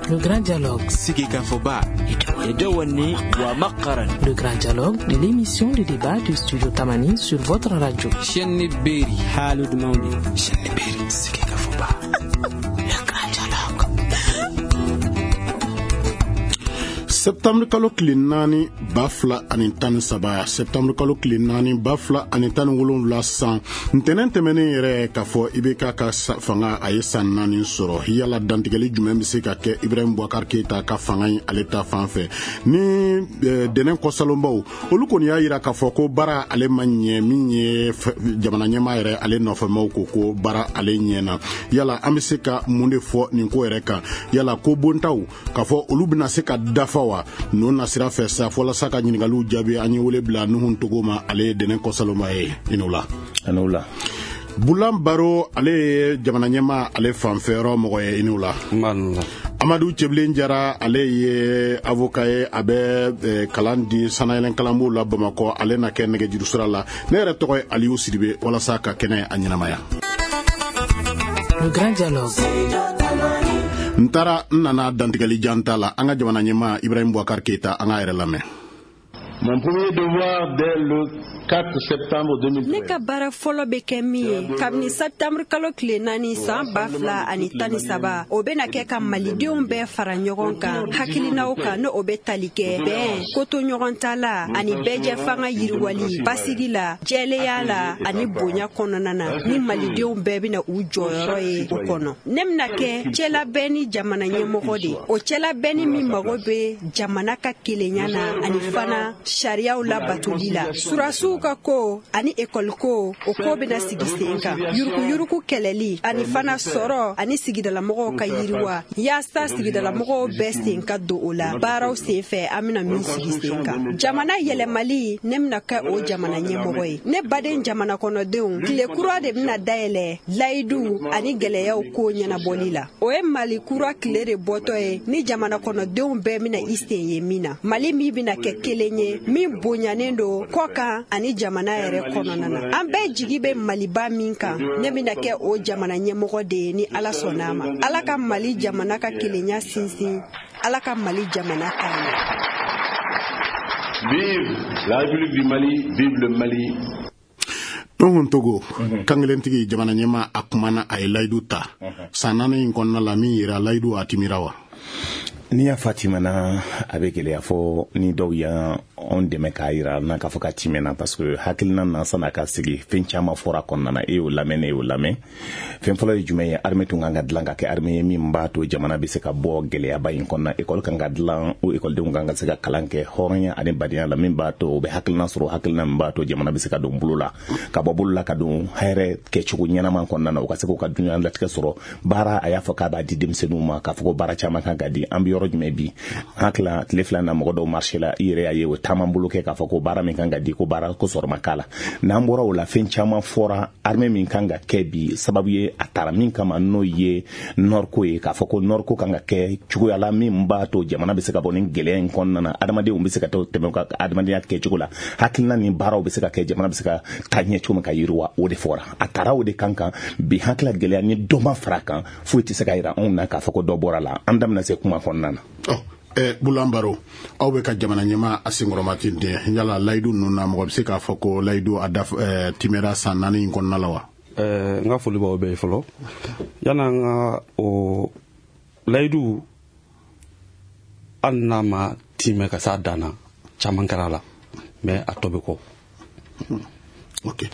Le Grand Dialogue. Sigikafɔba. Le Grand Dialogue de l'émission de débat du Studio Tamani sur votre radio. Chaîne Berry. Haalud Mawli. Chaîne Berry. Sigikafɔba. Le Grand Dialogue. Septembre kalo tile 4 2013, septembre kalo tile 4 2017 san ntɛnɛn tɛmɛnen yɛrɛ, k'a fɔ IBK ka fanga a ye san 4 sɔrɔ. Yala dantigɛli jumɛn bɛ se ka kɛ Ibrahim Boubacar Keita ka fanga in ale ta fan fɛ ni dɛnɛn kɔsalonbaw? Olu kɔni y'a yira k'a fɔ ko baara ale ma ɲɛ. Min ye jamana ɲɛmaa yɛrɛ ale nɔfɛmaw ko ko baara ale ɲɛna. Yala an bɛ se ka mun de fɔ nin ko yɛrɛ kan? Yala ko bontaw k'a fɔ olu bɛna se ka dafa wa? Ninnu nasira fɛ sa, walasa ka ɲininkaliw jaabi, an ye wele bila Nuhun Togo ma, ale ye dɛnɛn kɔsalonba ye. I n'o la. A n'o la. Bulan Baro, ale ye jamana ɲɛmaa ale fanfɛyɔrɔ mɔgɔ ye. I n'o la. Amadu Cɛbilen Jara, ale ye avocat ye, a bɛ kalan di sanayɛlɛn kalanbonw la Bamakɔ, ale na kɛ nɛgɛjuru sira la. Ne yɛrɛ tɔgɔ ye Aliyu Sidibe, walasa ka kɛnɛ a ɲɛnamaya. Le Grand Dialogue. N taara n nana dantigɛli jan ta la, an ka jamana ɲɛmaa Ibrahim Boubacar Keita, an k'a yɛrɛ lamɛn. Mon premier devoir dès le 4 septembre 2013. Ne ka baara fɔlɔ bɛ kɛ min ye kabini septembre kalo tile 4 san 2013, o bɛna kɛ ka Malidenw bɛɛ fara ɲɔgɔn kan hakilinaw kan, n'o bɛ tali kɛ bɛn, koto ɲɔgɔn ta la ani bɛɛjɛ fanga yiriwali basigi la, jɛlenya la ani bonya kɔnɔna na, ni Malidenw bɛɛ bɛna u jɔyɔrɔ ye o kɔnɔ. Ne bɛna kɛ cɛlabɛn ni jamana ɲɛmɔgɔ de, o cɛlabɛnni min mago bɛ jamana ka kelenya na ani fana sariyaw labatoli la. Surasiw ka ko ani ekɔliko, o ko bɛna sigi sen kan, yuruguyurugu kɛlɛli ani fana sɔrɔ ani sigidalamɔgɔw ka yiriwa, yaasa sigidalamɔgɔw bɛɛ sen ka don o la baaraw sen fɛ an bɛna min sigi sen kan. Jamana yɛlɛmali, ne bɛna kɛ o jamana ɲɛmɔgɔ ye. Ne baden jamana kɔnɔdenw, tile kura de bɛna dayɛlɛ layidu ani gɛlɛyaw ko ɲɛnabɔli la. O ye Mali kura tile de bɔtɔ ye, ni jamana kɔnɔdenw bɛɛ bɛna i sen ye min na, Mali min bɛna kɛ kelen ye, min bonyanen don kɔ kan ani jamana yɛrɛ kɔnɔna na. An bɛɛ jigi bɛ Maliba min kan, ne bɛna kɛ o jamana ɲɛmɔgɔ de ye, ni Ala sɔnna a ma. Ala ka Mali jamana ka kelenya sinsin, Ala ka Mali jamana taa ɲɛ. Vive la République du Mali, vive le Mali. Nuhun Togo, kankelentigi, jamana ɲɛmaa a kumana, a ye layidu ta san 4 in kɔnɔna la. Min yira layidu a timira wa? N'i y'a fɔ a timɛna, a bɛ gɛlɛya fɔ ni dɔw y'an dɛmɛ k'a yira n'a k'a fɔ k'a timɛna, parce que hakilina na san'a ka sigi, fɛn caman fɔra kɔnɔna na. E y'o lamɛn, ne y'o lamɛn. Fɛn fɔlɔ ye jumɛn ye? Armée tun kan ka dilan ka kɛ armée ye min b'a to jamana bɛ se ka bɔ gɛlɛyaba in kɔnɔna. École kan ka dilan, o écoledenw kan ka se ka kalan kɛ hɔrɔnya ani badenya la, min b'a to u bɛ hakilina sɔrɔ, hakilina min b'a to jamana bɛ se ka don bolo la, ka bɔ bolo la ka don hɛrɛ kɛcogo ɲɛnama kɔnɔna na, u ka se k'u ka dunuya latigɛ sɔrɔ. Baara, a y'a fɔ k'a b'a di denmisɛnninw ma, k'a fɔ ko baara caman kan ka di. An bɛ yɔrɔ jumɛn bi? Hakili tile 2 na, mɔgɔ dɔw marché la, i yɛrɛ y'a ye, o taama bolo kɛ k'a fɔ ko baara min kan ka di, ko baara ko sɔrɔ ma k'a la. N'an bɔra o la, fɛn caman fɔra. Armée min kan ka kɛ bi, sababu ye a taara min kama, n'o ye nord ko ye, k'a fɔ ko nord ko kan ka kɛ cogoya la min b'a to jamana bɛ se ka bɔ ni gɛlɛya in kɔnɔna na, adamadenw bɛ se ka tɛmɛ ka adamadenya kɛcogo la, hakilina ni baaraw bɛ se ka kɛ, jamana bɛ se ka taa ɲɛ cogo min ka yiriwa, o de fɔra. A taara o de kan kan bi. Hakilila gɛlɛya ni dɔ ma fara kan, foyi tɛ se ka yira anw na k'a fɔ ko dɔ bɔra la. An da bɛna se kuma kɔnɔna na. Bulan Baro, aw bɛ ka jamana ɲɛmaa a senkɔrɔma ten ten. Yala layidu ninnu na, mɔgɔ bɛ se k'a fɔ ko layidu a daf timɛra san 4 in kɔnɔna la wa? N ka foli b'aw bɛɛ ye fɔlɔ. Yan'an ka o layidu, hali n'a ma timɛ ka s'a dan na, caman kɛra a la, mais a tɔ bɛ kɔ. Ok.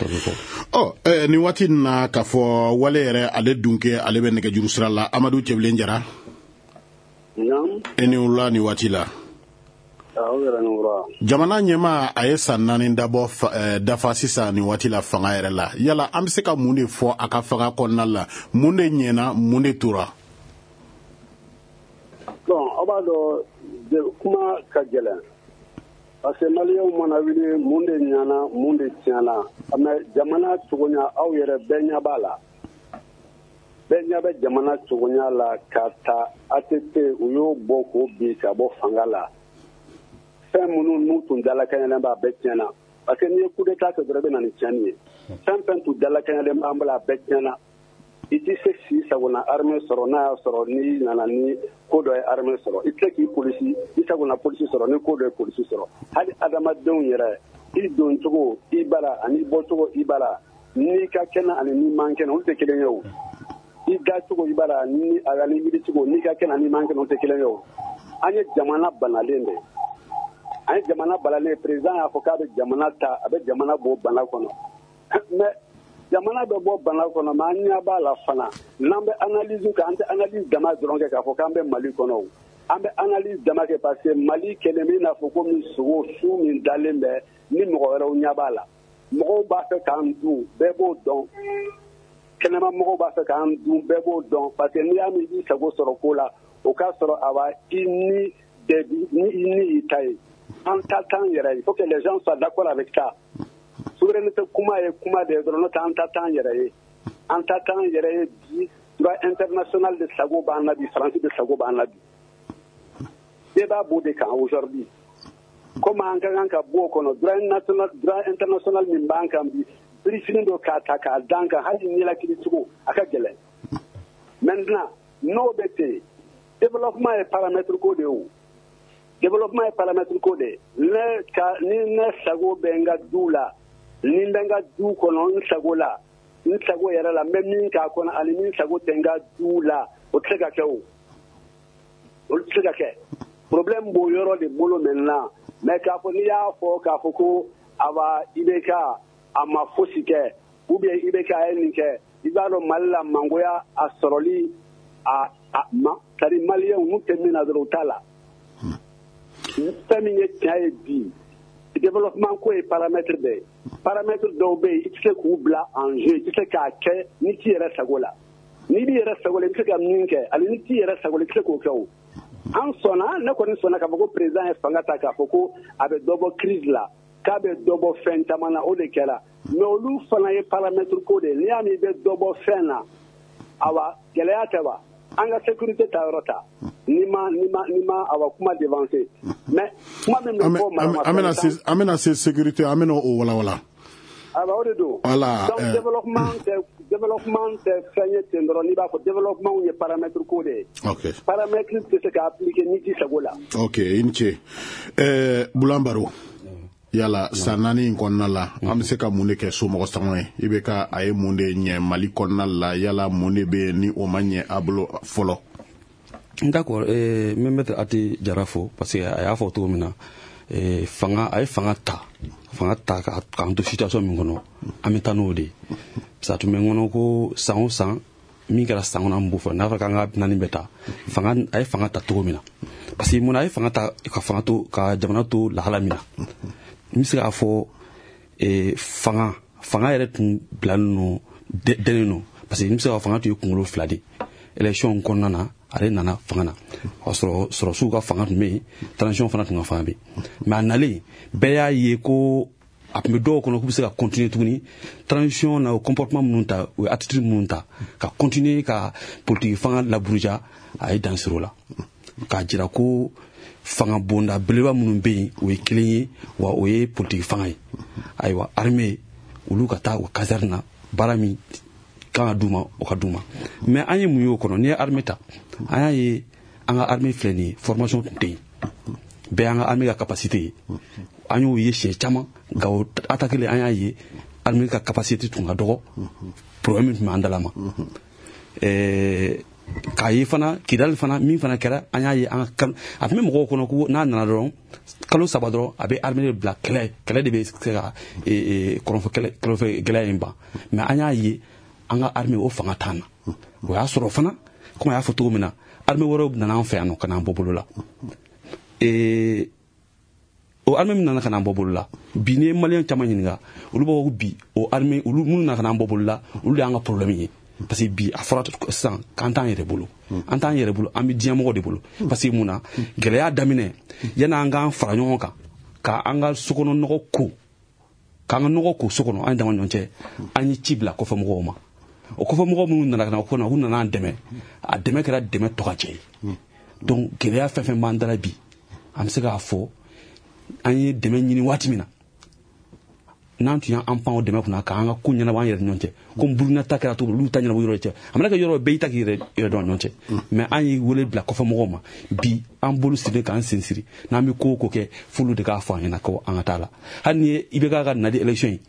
Ɔ, nin waati in na, k'a fɔ wale yɛrɛ ale dun kɛ, ale bɛ nɛgɛjuru sira la. Amadu Cɛbilen Jara. E ni wula nin waati la. Jamana ɲɛmaa a ye san 4 dabɔ dafa sisan nin waati la fanga yɛrɛ la. Yala an bɛ se ka mun de fɔ a ka fanga kɔnɔna la? Mun de ɲɛna, mun de tora? Bon, aw b'a dɔn, kuma ka gɛlɛn, parce que Maliyɛnw mana wuli, mun de ɲɛna, mun de tiɲɛna? Mais jamana cogoya, aw yɛrɛ bɛɛ ɲɛ b'a la, bɛɛ ɲɛ bɛ jamana cogoya la. Ka ta ATT, u y'o bɔ k'o bin ka bɔ fanga la, fɛn minnu n'u tun dalakɛɲɛlen b'a bɛɛ tiɲɛna, parce que n'i ye coup d'état kɛ dɔrɔn, i bɛ na ni tiɲɛni ye. Fɛn fɛn tun dalakɛɲɛlen b'an bolo, a bɛɛ tiɲɛna. I tɛ se k'i sagona armée sɔrɔ n'a y'a sɔrɔ n'i nana ni ko dɔ ye armée sɔrɔ. I tɛ se k'i polisi i sagona polisi sɔrɔ ni ko dɔ ye polisi sɔrɔ. Hali adamadenw yɛrɛ, i don cogo i bara ani bɔcogo i bara, n'i ka kɛnɛ ani n'i man kɛnɛ, olu tɛ kelen ye o. I da cogo i bara ni ani wuli cogo, n'i ka kɛnɛ ani man kɛnɛ, olu tɛ kelen ye o. An ye jamana banalen de ye. An ye jamana banalen. Président y'a fɔ k'a bɛ jamana ta, a bɛ jamana bɔ bana kɔnɔ, mais jamana bɛ bɔ bana kɔnɔ, mais an ɲɛ b'a la fana, n'an bɛ analyse kɛ, an tɛ analyse dama dɔrɔn kɛ k'a fɔ k'an bɛ Mali kɔnɔ o. An bɛ analyse dama kɛ parce que Mali kɛlen bɛ i n'a fɔ komi sogo su min dalen bɛ ni mɔgɔ wɛrɛw ɲɛ b'a la. Mɔgɔw b'a fɛ k'an dun, bɛɛ b'o dɔn. Kɛnɛma mɔgɔw b'a fɛ k'an dun, bɛɛ b'o dɔn, parce que n'i y'a mɛn i b'i sago sɔrɔ ko la, o k'a sɔrɔ awa i ni ni i ni y'i ta ye. An ta t'an yɛrɛ ye. Il faut que les gens soient d'accord avec ça. Souveraineté kuma ye kuma de ye dɔrɔn, n'o tɛ an ta t'an yɛrɛ ye. An ta t'an yɛrɛ ye bi. Droit international de sago b'an na bi, Faransi de sago b'an na bi. Débat b'o de kan aujourd'hui. Comme an ka kan ka bɔ o kɔnɔ, droit national, droit international min b'an kan bi, birifini dɔ k'a ta k'a d'an kan, hali ɲɛnakili cogo a ka gɛlɛn. Maintenant, n'o bɛ ten, développement ye paramètre ko de ye o. Développement ye paramètre ko de ye. Ne ka ni ne sago bɛ n ka du la, ni n bɛ n ka du kɔnɔ n sago la, n sago yɛrɛ la, n bɛ min k'a kɔnɔ ani min sago tɛ n ka du la, o tɛ se ka kɛ o. Olu tɛ se ka kɛ. Problème b'o yɔrɔ de bolo maintenant. Mais k'a fɔ n'i y'a fɔ k'a fɔ ko awa IBK a ma fosi kɛ, ou bien IBK a ye nin kɛ, i b'a dɔn Mali la mangoya a sɔrɔli a ma, c'est à dire maliyɛnw n'u tɛ min na dɔrɔn, u t'a la. Fɛn min ye tiɲɛ ye bi, développement ko ye paramètre de ye. Paramètre dɔw bɛ yen, i tɛ se k'u bila en jeu, i tɛ se k'a kɛ n'i t'i yɛrɛ sago la. N'i b'i yɛrɛ sago la, i bɛ se ka min kɛ, ani n'i t'i yɛrɛ sago la, i tɛ se k'o kɛ o. An sɔnna, ne kɔni sɔnna k'a fɔ ko président ye fanga ta k'a fɔ ko a bɛ dɔ bɔ crise la, k'a bɛ dɔ bɔ fɛn caman na, o de kɛra. Mais olu fana ye paramètre ko de ye. N'i y'a mɛn i bɛ dɔ bɔ fɛn na, awa gɛlɛya tɛ wa? An ka sécurité ta yɔrɔ ta, ni ma awa kuma devancer, mais kuma min bɛ fɔ. An bɛna se sécurité, an bɛna o walawala. Awa, o de don. Voilà. Donc développement tɛ fɛn ye ten dɔrɔn n'i b'a fɔ, développement ye paramètre ko de ye. Paramètre tɛ se ka appliquer n'i t'i sago la. Ok, i ni ce. Bulan Baro, yala san 4 in kɔnɔna la, an bɛ se ka mun de kɛ somɔgɔ sanga ye? I bɛ ka a ye mun de ɲɛ Mali kɔnɔna la? Yala mun de bɛ yen ni o ma ɲɛ a bolo fɔlɔ? D'accord, n bɛ maître Ati Jara fo parce que a y'a fɔ cogo min na, fanga a ye fanga ta k'an to situation min kɔnɔ, an bɛ taa n'o de ye. Parce que a tun bɛ n kɔnɔ ko san o san min kɛra san kɔnɔ, an b'o fɔ n'a fɔra k'an ka naani bɛɛ ta. Fanga a ye fanga ta cogo min na, parce que mun na a ye fanga ta ka fanga to ka jamana to lahala min na, n bɛ se k'a fɔ fanga yɛrɛ tun bilalen don dɛnnen don, parce que n bɛ se k'a fɔ fanga tun ye kunkolo fila de ye. Élection kɔnɔna na, ale nana fanga na, o y'a sɔrɔ sɔrɔsiw ka fanga tun bɛ yen, transition fana tun ka fanga bɛ yen. Mais a nalen, bɛɛ y'a ye ko a tun bɛ dɔw kɔnɔ k'u bɛ se ka continuer tuguni transition na, o comportement minnu ta, o ye attitude minnu ta ka continuer ka politique fanga laburuja. A ye dan siri o la k'a jira ko fanga bonda belebeleba minnu bɛ yen, o ye kelen ye wa, o ye politique fanga ye. Ayiwa, armée olu ka taa o caserne na, baara min kan ka d'u ma, o ka d'u ma. Mais an ye mun ye o kɔnɔ? N'i ye armée ta, an y'a ye an ka armée filɛ nin ye, formation tun tɛ yen. Bɛɛ y'an ka armée ka capacité ye, an y'o ye siɲɛ caman. Gawo attaque an y'a ye armée ka capacité tun ka dɔgɔ, problème min tun b'an dala ma. K'a ye fana Kidali fana, min fana kɛra, an y'a ye an ka a tun bɛ mɔgɔw kɔnɔ ko n'a nana dɔrɔn, kalo 3 dɔrɔn, a bɛ armée de bila kɛlɛ, kɛlɛ de bɛ se ka kɔrɔnfɛ kɛlɛ, kɔrɔnfɛ gɛlɛya in ban. Mais an y'a ye an ka armée o fanga t'an na. O y'a sɔrɔ fana, komi a y'a fɔ cogo min na, armée wɛrɛw nana an fɛ yan nɔ ka n'an bɔ bolo la. O armée min nana ka n'an bɔ bolo la bi, n'i ye maliyɛn caman ɲininka, olu b'a fɔ ko bi o armée olu minnu nana ka n'an bɔ bolo la, olu de y'an ka problème ye, parce que bi a fɔra sisan k'an t'an yɛrɛ bolo, an t'an yɛrɛ bolo, an bɛ diɲɛmɔgɔ de bolo. Parce que mun na gɛlɛya daminɛ, yan'an k'an fara ɲɔgɔn kan k'an ka sokɔnɔ nɔgɔ ko, k'an ka nɔgɔ ko so kɔnɔ, an dama ɲɔgɔn cɛ, an ye ci bila kɔfɛ mɔgɔw ma. O kɔfɛ mɔgɔ minnu nana ka na o kɔnɔ, u nana an dɛmɛ, a dɛmɛ kɛra dɛmɛ tɔgɔjɛ ye. Donc gɛlɛya fɛn fɛn b'an dala bi, an bɛ se k'a fɔ an ye dɛmɛ ɲini waati min na, N'an tun y'an pan o dɛmɛ kunna k'an ka ko ɲɛnabɔ an yɛrɛ ni ɲɔgɔn cɛ, komi Burukina ta kɛra cogo min, olu ta ɲɛnabɔ yɔrɔ cɛ, a mana kɛ yɔrɔ bɛɛ y'i ta k'i yɛrɛ dɔn ɲɔgɔn cɛ. Mais an ye wele bila kɔfɛ mɔgɔw ma bi, an bolo sirilen k'an sen siri, n'an bɛ ko o ko kɛ, f'olu de k'a fɔ an ɲɛna ko an ka taa la. Hali ni ye IBK ka nali élection ye,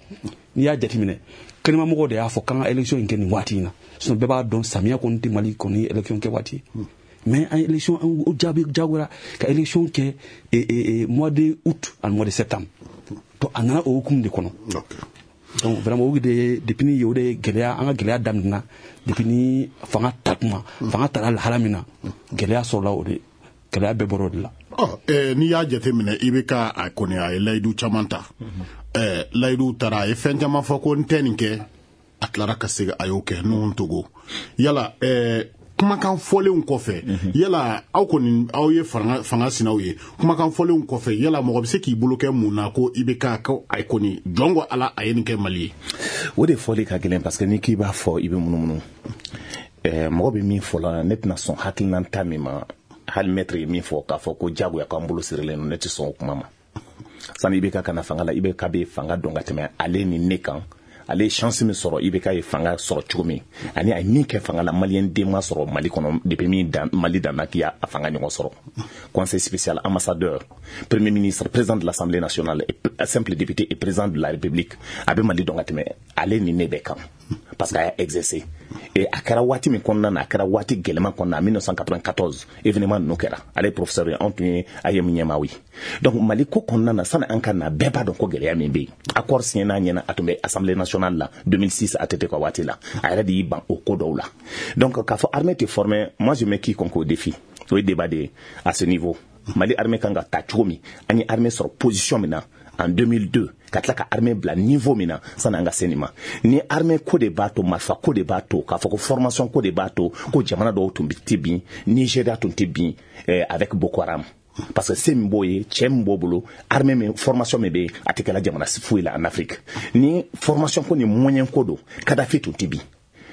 n'i y'a jateminɛ, kɛnɛmamɔgɔw de y'a fɔ k'an ka élection in kɛ nin waati in na, sinon bɛɛ b'a dɔn samiya kɔni tɛ Mali kɔni élection kɛ waati ye. Mais an élection, an jaabi jagoya ka élection kɛ mois de août ani mois de septembre. Donc a nana o hukumu de kɔnɔ. Donc vraiment o de, depuis ni o de gɛlɛya, an ka gɛlɛya daminɛna depuis ni fanga ta tuma, fanga tara lahala min na, gɛlɛya sɔrɔla o de, gɛlɛya bɛɛ bɔra o de la. Ɔ, n'i y'a jateminɛ, i bɛ ka a kɔni a ye layidu caman ta, layidu taara, a ye fɛn caman fɔ ko n tɛ nin kɛ, a tilara ka segin a y'o kɛ. Nuhun Togo, yala kumakan fɔlenw kɔfɛ, yala aw kɔni aw ye fanga sinaw ye, kumakan fɔlenw kɔfɛ, yala mɔgɔ bɛ se k'i bolo kɛ mun na ko i bɛ ka ko a kɔni jɔn ko Ala a ye nin kɛ Mali ye? O de fɔli ka gɛlɛn, parce que n'i k'i b'a fɔ, i bɛ munumunu. Mɔgɔ bɛ min fɔ la, ne tɛna sɔn hakilina ta min ma. Hali maître ye min fɔ k'a fɔ ko jagoya k'an bolo sirilen don, ne tɛ sɔn o kuma ma. Sani IBK ka na fanga la, IBK bɛ fanga dɔn ka tɛmɛ ale ni ne kan. Ale ye chance min sɔrɔ, IBK ye fanga sɔrɔ cogo min ani a ye min kɛ fanga la, maliyɛn den ma sɔrɔ Mali kɔnɔ depuis min dan Mali danna k'i y'a fanga ɲɔgɔn sɔrɔ. Conseil spécial, ambassadeur, premier ministre, président de l'Assemblée nationale, simple député et président de la République, a bɛ Mali dɔn ka tɛmɛ ale ni ne bɛɛ kan, parce que a y'a exercé. Et a kɛra waati min kɔnɔna na, a kɛra waati gɛlɛman kɔnɔna na, 1994 événement ninnu kɛra, ale ye professeur ye, anw tun ye AEEM ɲɛmaaw ye. Donc Mali ko kɔnɔna na, sani an ka na, bɛɛ b'a dɔn ko gɛlɛya min bɛ yen. Accord signé n'a ɲɛna, a tun bɛ Assemblée nationale la 2006, ATT ka waati la, a yɛrɛ de y'i ban o ko dɔw la. Donc k'a fɔ armée tɛ formée, moi je mets quiconque au défi. O ye débat de ye à ce niveau. Mali armée kan ka ta cogo min, an ye armée sɔrɔ position min na en 2002, ka tila ka armée bila niveau min na sani an ka se nin ma, ni armée ko de b'a to, marifa ko de b'a to, k'a fɔ ko formation ko de b'a to ko jamana dɔw tun tɛ bin, Nigéria tun tɛ bin avec Boko Haram, parce que se min b'o ye, cɛ min b'o bolo, armée min, formation min bɛ yen, a tɛ kɛla jamana foyi la en Afrique. Ni formation ko ni moyen ko don, Kadhafi tun tɛ bin.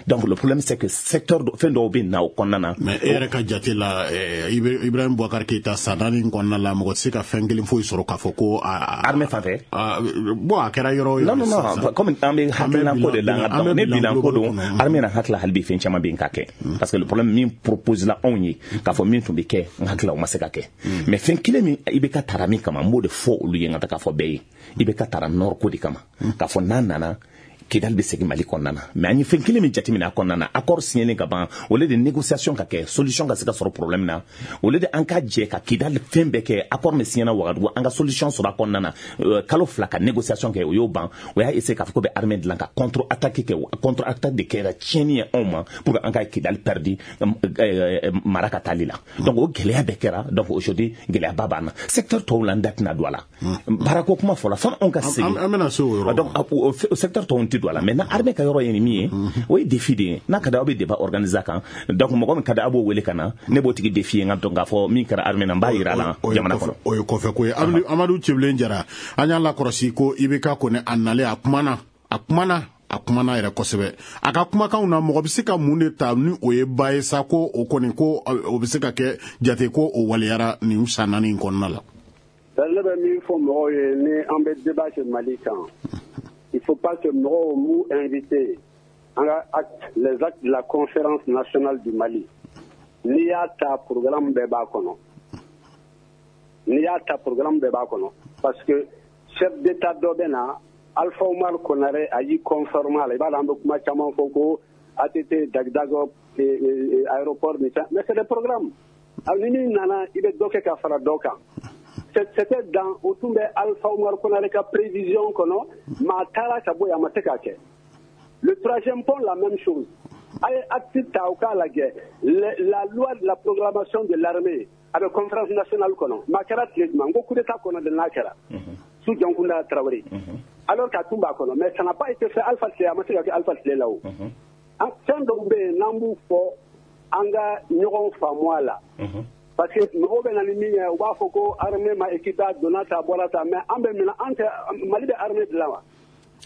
Donc le problème, c'est que secteur fɛn dɔw bɛ na o kɔnɔna na. Mais e yɛrɛ ka jate la, Ibrahim Boubacar Keïta, san 4 kɔnɔna la, mɔgɔ tɛ se ka fɛn kelen foyi sɔrɔ k'a fɔ ko armée fan fɛ. Bon, a kɛra yɔrɔ o yɔrɔ. Non, non, non, comme an bɛ hakilina ko de la, an ne bilan ko don, armée na hakili hali bi fɛn caman bɛ yen ka kɛ, parce que le problème min propose la anw ye k'a fɔ min tun bɛ kɛ, n hakili la o ma se ka kɛ. Mais fɛn kelen min IBK taara min kama, n b'o de fɔ olu ye, n ka taa k'a fɔ bɛɛ ye, IBK taara nord ko de kama, k'a fɔ n'a nana, Kidal bɛ segin Mali kɔnɔna na. Mais an ye fɛn kelen min jateminɛ a kɔnɔna na, accord signé ka ban, au lieu de négociation ka kɛ, solution ka se ka sɔrɔ problème na, au lieu de an ka jɛ ka Kidal fɛn bɛɛ kɛ, accord min signé na Wagadugu, an ka solution sɔrɔ a kɔnɔna na, kalo 2 ka négociation kɛ, o y'o ban. O y'a essayer k'a fɔ ko bɛ armée dilan ka contre attaque kɛ. Contre attaque de kɛra tiɲɛni ye anw ma pour que an ka Kidal perdu mara ka taali la. Donc o gɛlɛya bɛɛ kɛra. Donc aujourd'hui gɛlɛyaba b'an na secteur tɔw la, n da tɛna don a la. Baarako kuma fɔla, fo anw ka segin. An bɛna se o yɔrɔ. Donc o secteur tɔw tɛ don a la. Maintenant armée ka yɔrɔ ye nin min ye, o ye défi de ye. N'a ka di aw bɛ débat organiser a kan. Donc mɔgɔ min ka di aw b'o wele ka na, ne b'o tigi défi ye, n ka dɔn k'a fɔ min kɛra armée na, n b'a yira a la jamana kɔnɔ. O ye kɔfɛ ko ye. Amadu Tiébilé Jara, an y'a lakɔlɔsi ko IBK kɔni a nalen, a kumana, a kumana, a kumana yɛrɛ kosɛbɛ. A ka kumakanw na, mɔgɔ bɛ se ka mun de ta ni o ye ba ye sa, ko o kɔni ko o bɛ se ka kɛ jate ko o waleyara nin san 4 in kɔnɔna la? Ne bɛ min fɔ mɔgɔw ye, ni an bɛ débat kɛ Mali kan, il faut pas que mɔgɔw m'u invité an ka acte, les actes de la conférence nationale du Mali. N'i y'a ta, programme bɛɛ b'a kɔnɔ. N'i y'a ta, programme bɛɛ b'a kɔnɔ, parce que chef d'état dɔ bɛ na, Alpha Oumar Konaré, a y'i conforme a la. I b'a dɔn, an bɛ kuma caman fɔ ko ATT Dagdago aéroport ni fɛn, mais c'est des programmes. Ni min nana, i bɛ dɔ kɛ ka fara dɔ kan. C'était dans o tun bɛ Alpha Oumar Konaré ka prévision kɔnɔ. Maa taara ka bɔ yen, a ma se k'a kɛ. Le troisième pont, la même chose. A ye acte ta, o k'a lajɛ, la loi de la programmation de l'armée, a bɛ conférence nationale kɔnɔ. Maa kɛra tile jumɛn n ko coup d'état kɔnɔ de n'a kɛra sous Dioncounda Traoré, alors qu'a tun b'a kɔnɔ, mais ça n'a pas été fait. Alpha tile, a ma se ka kɛ Alpha tile la. O fɛn dɔw bɛ yen, n'an b'u fɔ, an ka ɲɔgɔn faamu a la, parce que mɔgɔw bɛ na ni min ye, u b'a fɔ ko armée ma équipé, a donna ta, a bɔra ta. Mais an bɛ minɛ, an tɛ Mali bɛ armée dilan wa?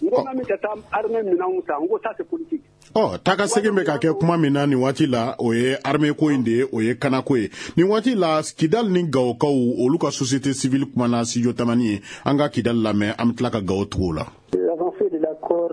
N ko min ka taa armée minɛnw san, n ko ça c'est politique. Ɔ, taa ka segin bɛ ka kɛ kuma min na nin waati la, o ye armée ko in de ye, o ye kanako ye. Nin waati la, Kidali ni Gawokaw, olu ka société civile kumana Studio Tamani ye. An ka Kidali lamɛn, an bɛ tila ka Gawo tugu o la. L'accord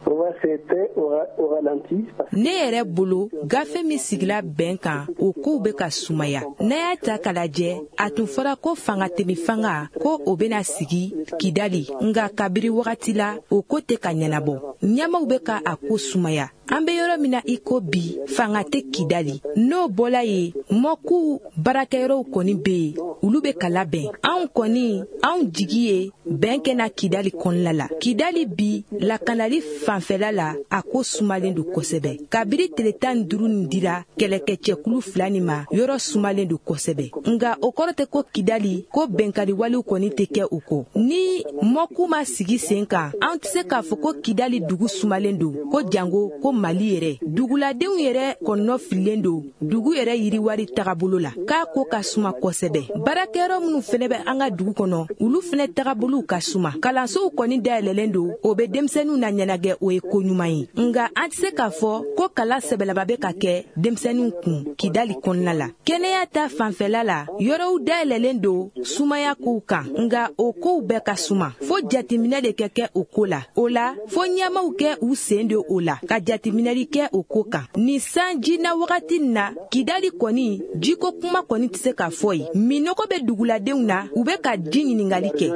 va c'était au ralenti. Ne yɛrɛ bolo, gafe min sigila bɛn kan, o kow bɛ ka sumaya. N'a y'a ta k'a lajɛ, a tun fɔra ko fanga temi fanga ko o bɛna sigi Kidali, nka kabiri wagati la, o ko tɛ ka ɲɛnabɔ. Ɲɛmaw bɛ ka a ko sumaya. An bɛ yɔrɔ min na i ko bi, fanga tɛ Kidali. N'o bɔla yen, mɔkuw baarakɛyɔrɔw kɔni bɛ yen, olu bɛ ka labɛn. Anw kɔni, anw jigi ye bɛn kɛ na Kidali kɔnɔna la. Kidali bi, lakanali fanfɛla la, a ko sumalen don kosɛbɛ. Kabiri tile 15 nin dira kɛlɛkɛcɛkulu fila nin ma, yɔrɔ sumalen don kosɛbɛ. Nka o kɔrɔ tɛ ko Kidali ko bɛnkari walew kɔni tɛ kɛ o kɔ. Ni mɔku ma sigi sen kan, an tɛ se k'a fɔ ko Kidali dugu sumalen don, ko jango ko Mali yɛrɛ. Duguladenw yɛrɛ kɔnɔ fililen don dugu yɛrɛ yiriwari tagabolo la, k'a ko ka suma kosɛbɛ. Baarakɛyɔrɔ minnu fɛnɛ bɛ an ka dugu kɔnɔ, olu fɛnɛ tagabolow ka suma. Kalansow kɔni dayɛlɛlen don, o bɛ denmisɛnninw na ɲɛnagɛ, o ye ko ɲuman ye. Nka an tɛ se k'a fɔ ko kalan sɛbɛlama bɛ ka kɛ denmisɛnninw kun Kidali kɔnɔna la. Kɛnɛya ta fanfɛla la, yɔrɔw dayɛlɛlen don sumaya kow kan, nka o kow bɛɛ ka suma. Fo jateminɛ de kɛ kɛ o ko la. O la, fo ɲɛmaw kɛ u sen don o la, ka jateminɛli kɛ o ko kan. Nin sanji na wagati na, Kidali kɔni jiko kuma kɔni tɛ se ka fɔ yen. Minɔgɔ bɛ duguladenw na, u bɛ ka ji ɲininkali kɛ.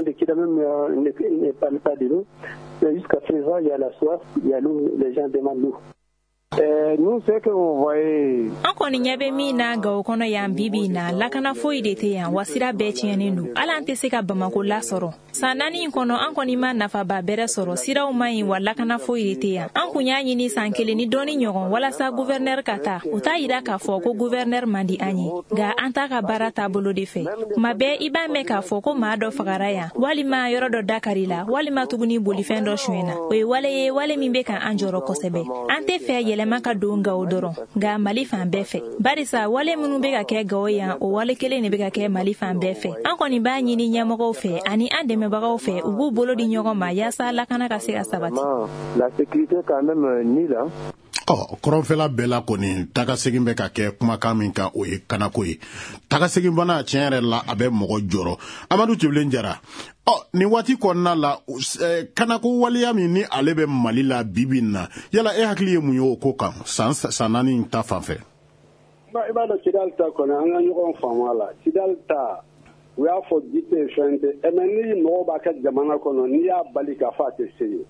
Jusqu'à présent, il y a la soif, il y a l'eau, les gens demandent l'eau. Nous, ce que vous voyez. An kɔni ɲɛ bɛ min na Gawo kɔnɔ yan bi bi in na, lakana foyi de tɛ yan, wa sira bɛɛ tiɲɛnen don. Hali an tɛ se ka Bamako lasɔrɔ. San 4 in kɔnɔ, an kɔni ma nafaba bɛrɛ sɔrɔ, siraw man ɲi, wa lakana foyi de tɛ yan. An kun y'a ɲini san 1 ni dɔɔni ɲɔgɔn walasa gouverneur ka taa. O t'a yira k'a fɔ ko gouverneur man di an ye, nka an t'a ka baara taabolo de fɛ. Tuma bɛɛ i b'a mɛn k'a fɔ ko maa dɔ fagara yan, walima yɔrɔ dɔ dakari la, walima tuguni bolifɛn dɔ sonyɛna. O ye wale ye, wale min bɛ ka an jɔrɔ kosɛbɛ. An tɛ fɛ yɛlɛma ka don Gawo dɔrɔn, nka Mali fan bɛɛ fɛ. Barisa wale minnu bɛ ka kɛ Gawo yan, o wale kelen de bɛ ka kɛ Mali fan bɛɛ fɛ. An kɔni b'a ɲini ɲɛmɔgɔw fɛ ani an dɛmɛbagaw fɛ, u b'u bolo di ɲɔgɔn ma yaasa lakana ka se ka sabati. La sécurité quand même ni la. Ɔ, kɔrɔnfɛla bɛɛ la kɔni, tagasegin bɛ ka kɛ kumakan min kan, o ye kanako ye. Tagasegin bana, tiɲɛ yɛrɛ la, a bɛ mɔgɔ jɔrɔ. Amadu Tibilen Jara, ɔ, nin waati kɔnɔna la, kanako waleya min ni ale bɛ Mali la bi bi in na, yala e hakili ye mun ye o ko kan, san 4 ta fan fɛ? I b'a dɔn, Kidali ta kɔni, an ka ɲɔgɔn faamu a la. Kidali ta, u y'a fɔ ji tɛ fɛn tɛ, mais ni mɔgɔw b'a kɛ jamana kɔnɔ, n'i y'a bali k'a fɔ a tɛ se yen.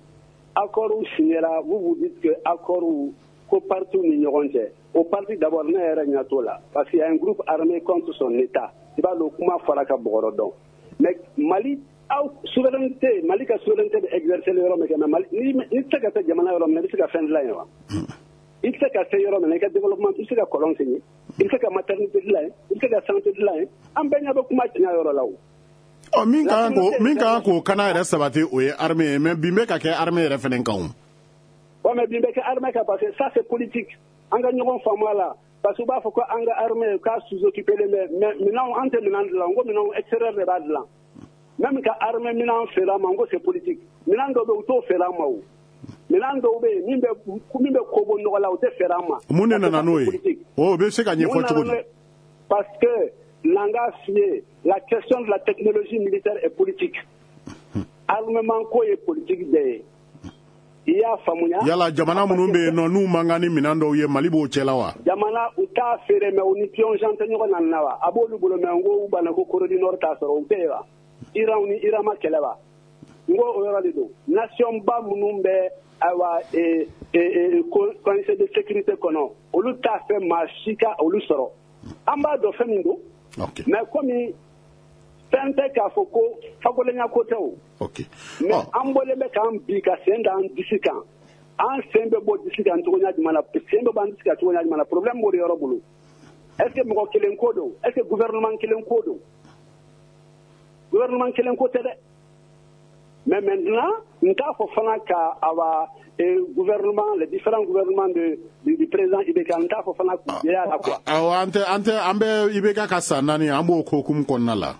Accord signera, vous vous dites que accord ko parti ni ɲɔgɔn cɛ, o parti d'abord ne yɛrɛ ɲɛ t'o la, parce qu'il y a un groupe armé contre son état. I b'a dɔn, kuma fɔra ka bɔgɔrɔ dɔn, mais Mali aw souveraineté, Mali ka souveraineté bɛ exercer yɔrɔ min kɛ, mais Mali ni tɛ se ka se jamana yɔrɔ min na, i bɛ se ka fɛn dilan yen wa? I tɛ se ka se yɔrɔ min na, i ka développement, i bɛ se ka kɔlɔn sen yen, i bɛ se ka maternité dilan yen, i bɛ se ka santé dilan yen. An bɛɛ ɲɛ bɛ kuma tiɲɛ yɔrɔ la o. Ɔ, min kan k'o kana yɛrɛ sabati, o ye armée ye, mais bin bɛ ka kɛ armée yɛrɛ fɛnɛ kan o. Ouais, mais bin bɛ kɛ armée kan parce que ça c'est politique. An ka ɲɔgɔn faamu a la, parce que u b'a fɔ ko an ka armée k'a sous-occupé bɛ, mais minɛnw, an tɛ minɛn dilan, n ko minɛnw extérieur de b'a dilan. Même ka armée minɛn feere an ma, n ko c'est politique. Minɛn dɔw bɛ yen, u t'o feere an ma o. Minɛn dɔw bɛ yen, min bɛ ko bɔ nɔgɔ la, u tɛ feere an ma. Mun de nana n'o ye? O bɛ se ka ɲɛfɔ cogo di? Parce que l'anga fiyɛ, la question de la technologie militaire est politique. Armement ko ye politique de ye. I y'a faamuya? Yala jamana minnu bɛ yen nɔ, n'u man kan ni minɛn dɔw ye, Mali b'o cɛla wa? Jamana u t'a feere, mais u ni Pyongyang tɛ ɲɔgɔn na nin na wa? A b'olu bolo, mais n ko u banna ko Corée du Nord t'a sɔrɔ, u tɛ yen wa? Iran ni Iran ma kɛlɛ wa? N ko o yɔrɔ de don. Nation ba minnu bɛ ayiwa conseil de sécurité kɔnɔ, olu t'a fɛ maa si ka olu sɔrɔ. An b'a dɔn fɛn min don. Mais komi fɛn tɛ k'a fɔ ko fagolenya ko tɛ o. Mais an bɔlen bɛ k'an bi ka sen da an disi kan. An sen bɛ bɔ disi kan cogoya jumɛn na? Sen bɛ bɔ an disi kan cogoya jumɛn na? Problème b'o de yɔrɔ bolo. Est ce que mɔgɔ kelen ko don? Est ce que gouvernement kelen ko don? Gouvernement kelen ko tɛ dɛ. Mais maintenant, n t'a fɔ fana ka awa gouvernement, les différents gouvernements du président IBK, n t'a fɔ fana k'u jɛya la quoi. Awɔ, an tɛ an tɛ an bɛ IBK ka san 4, an b'o ko hukumu kɔnɔna la.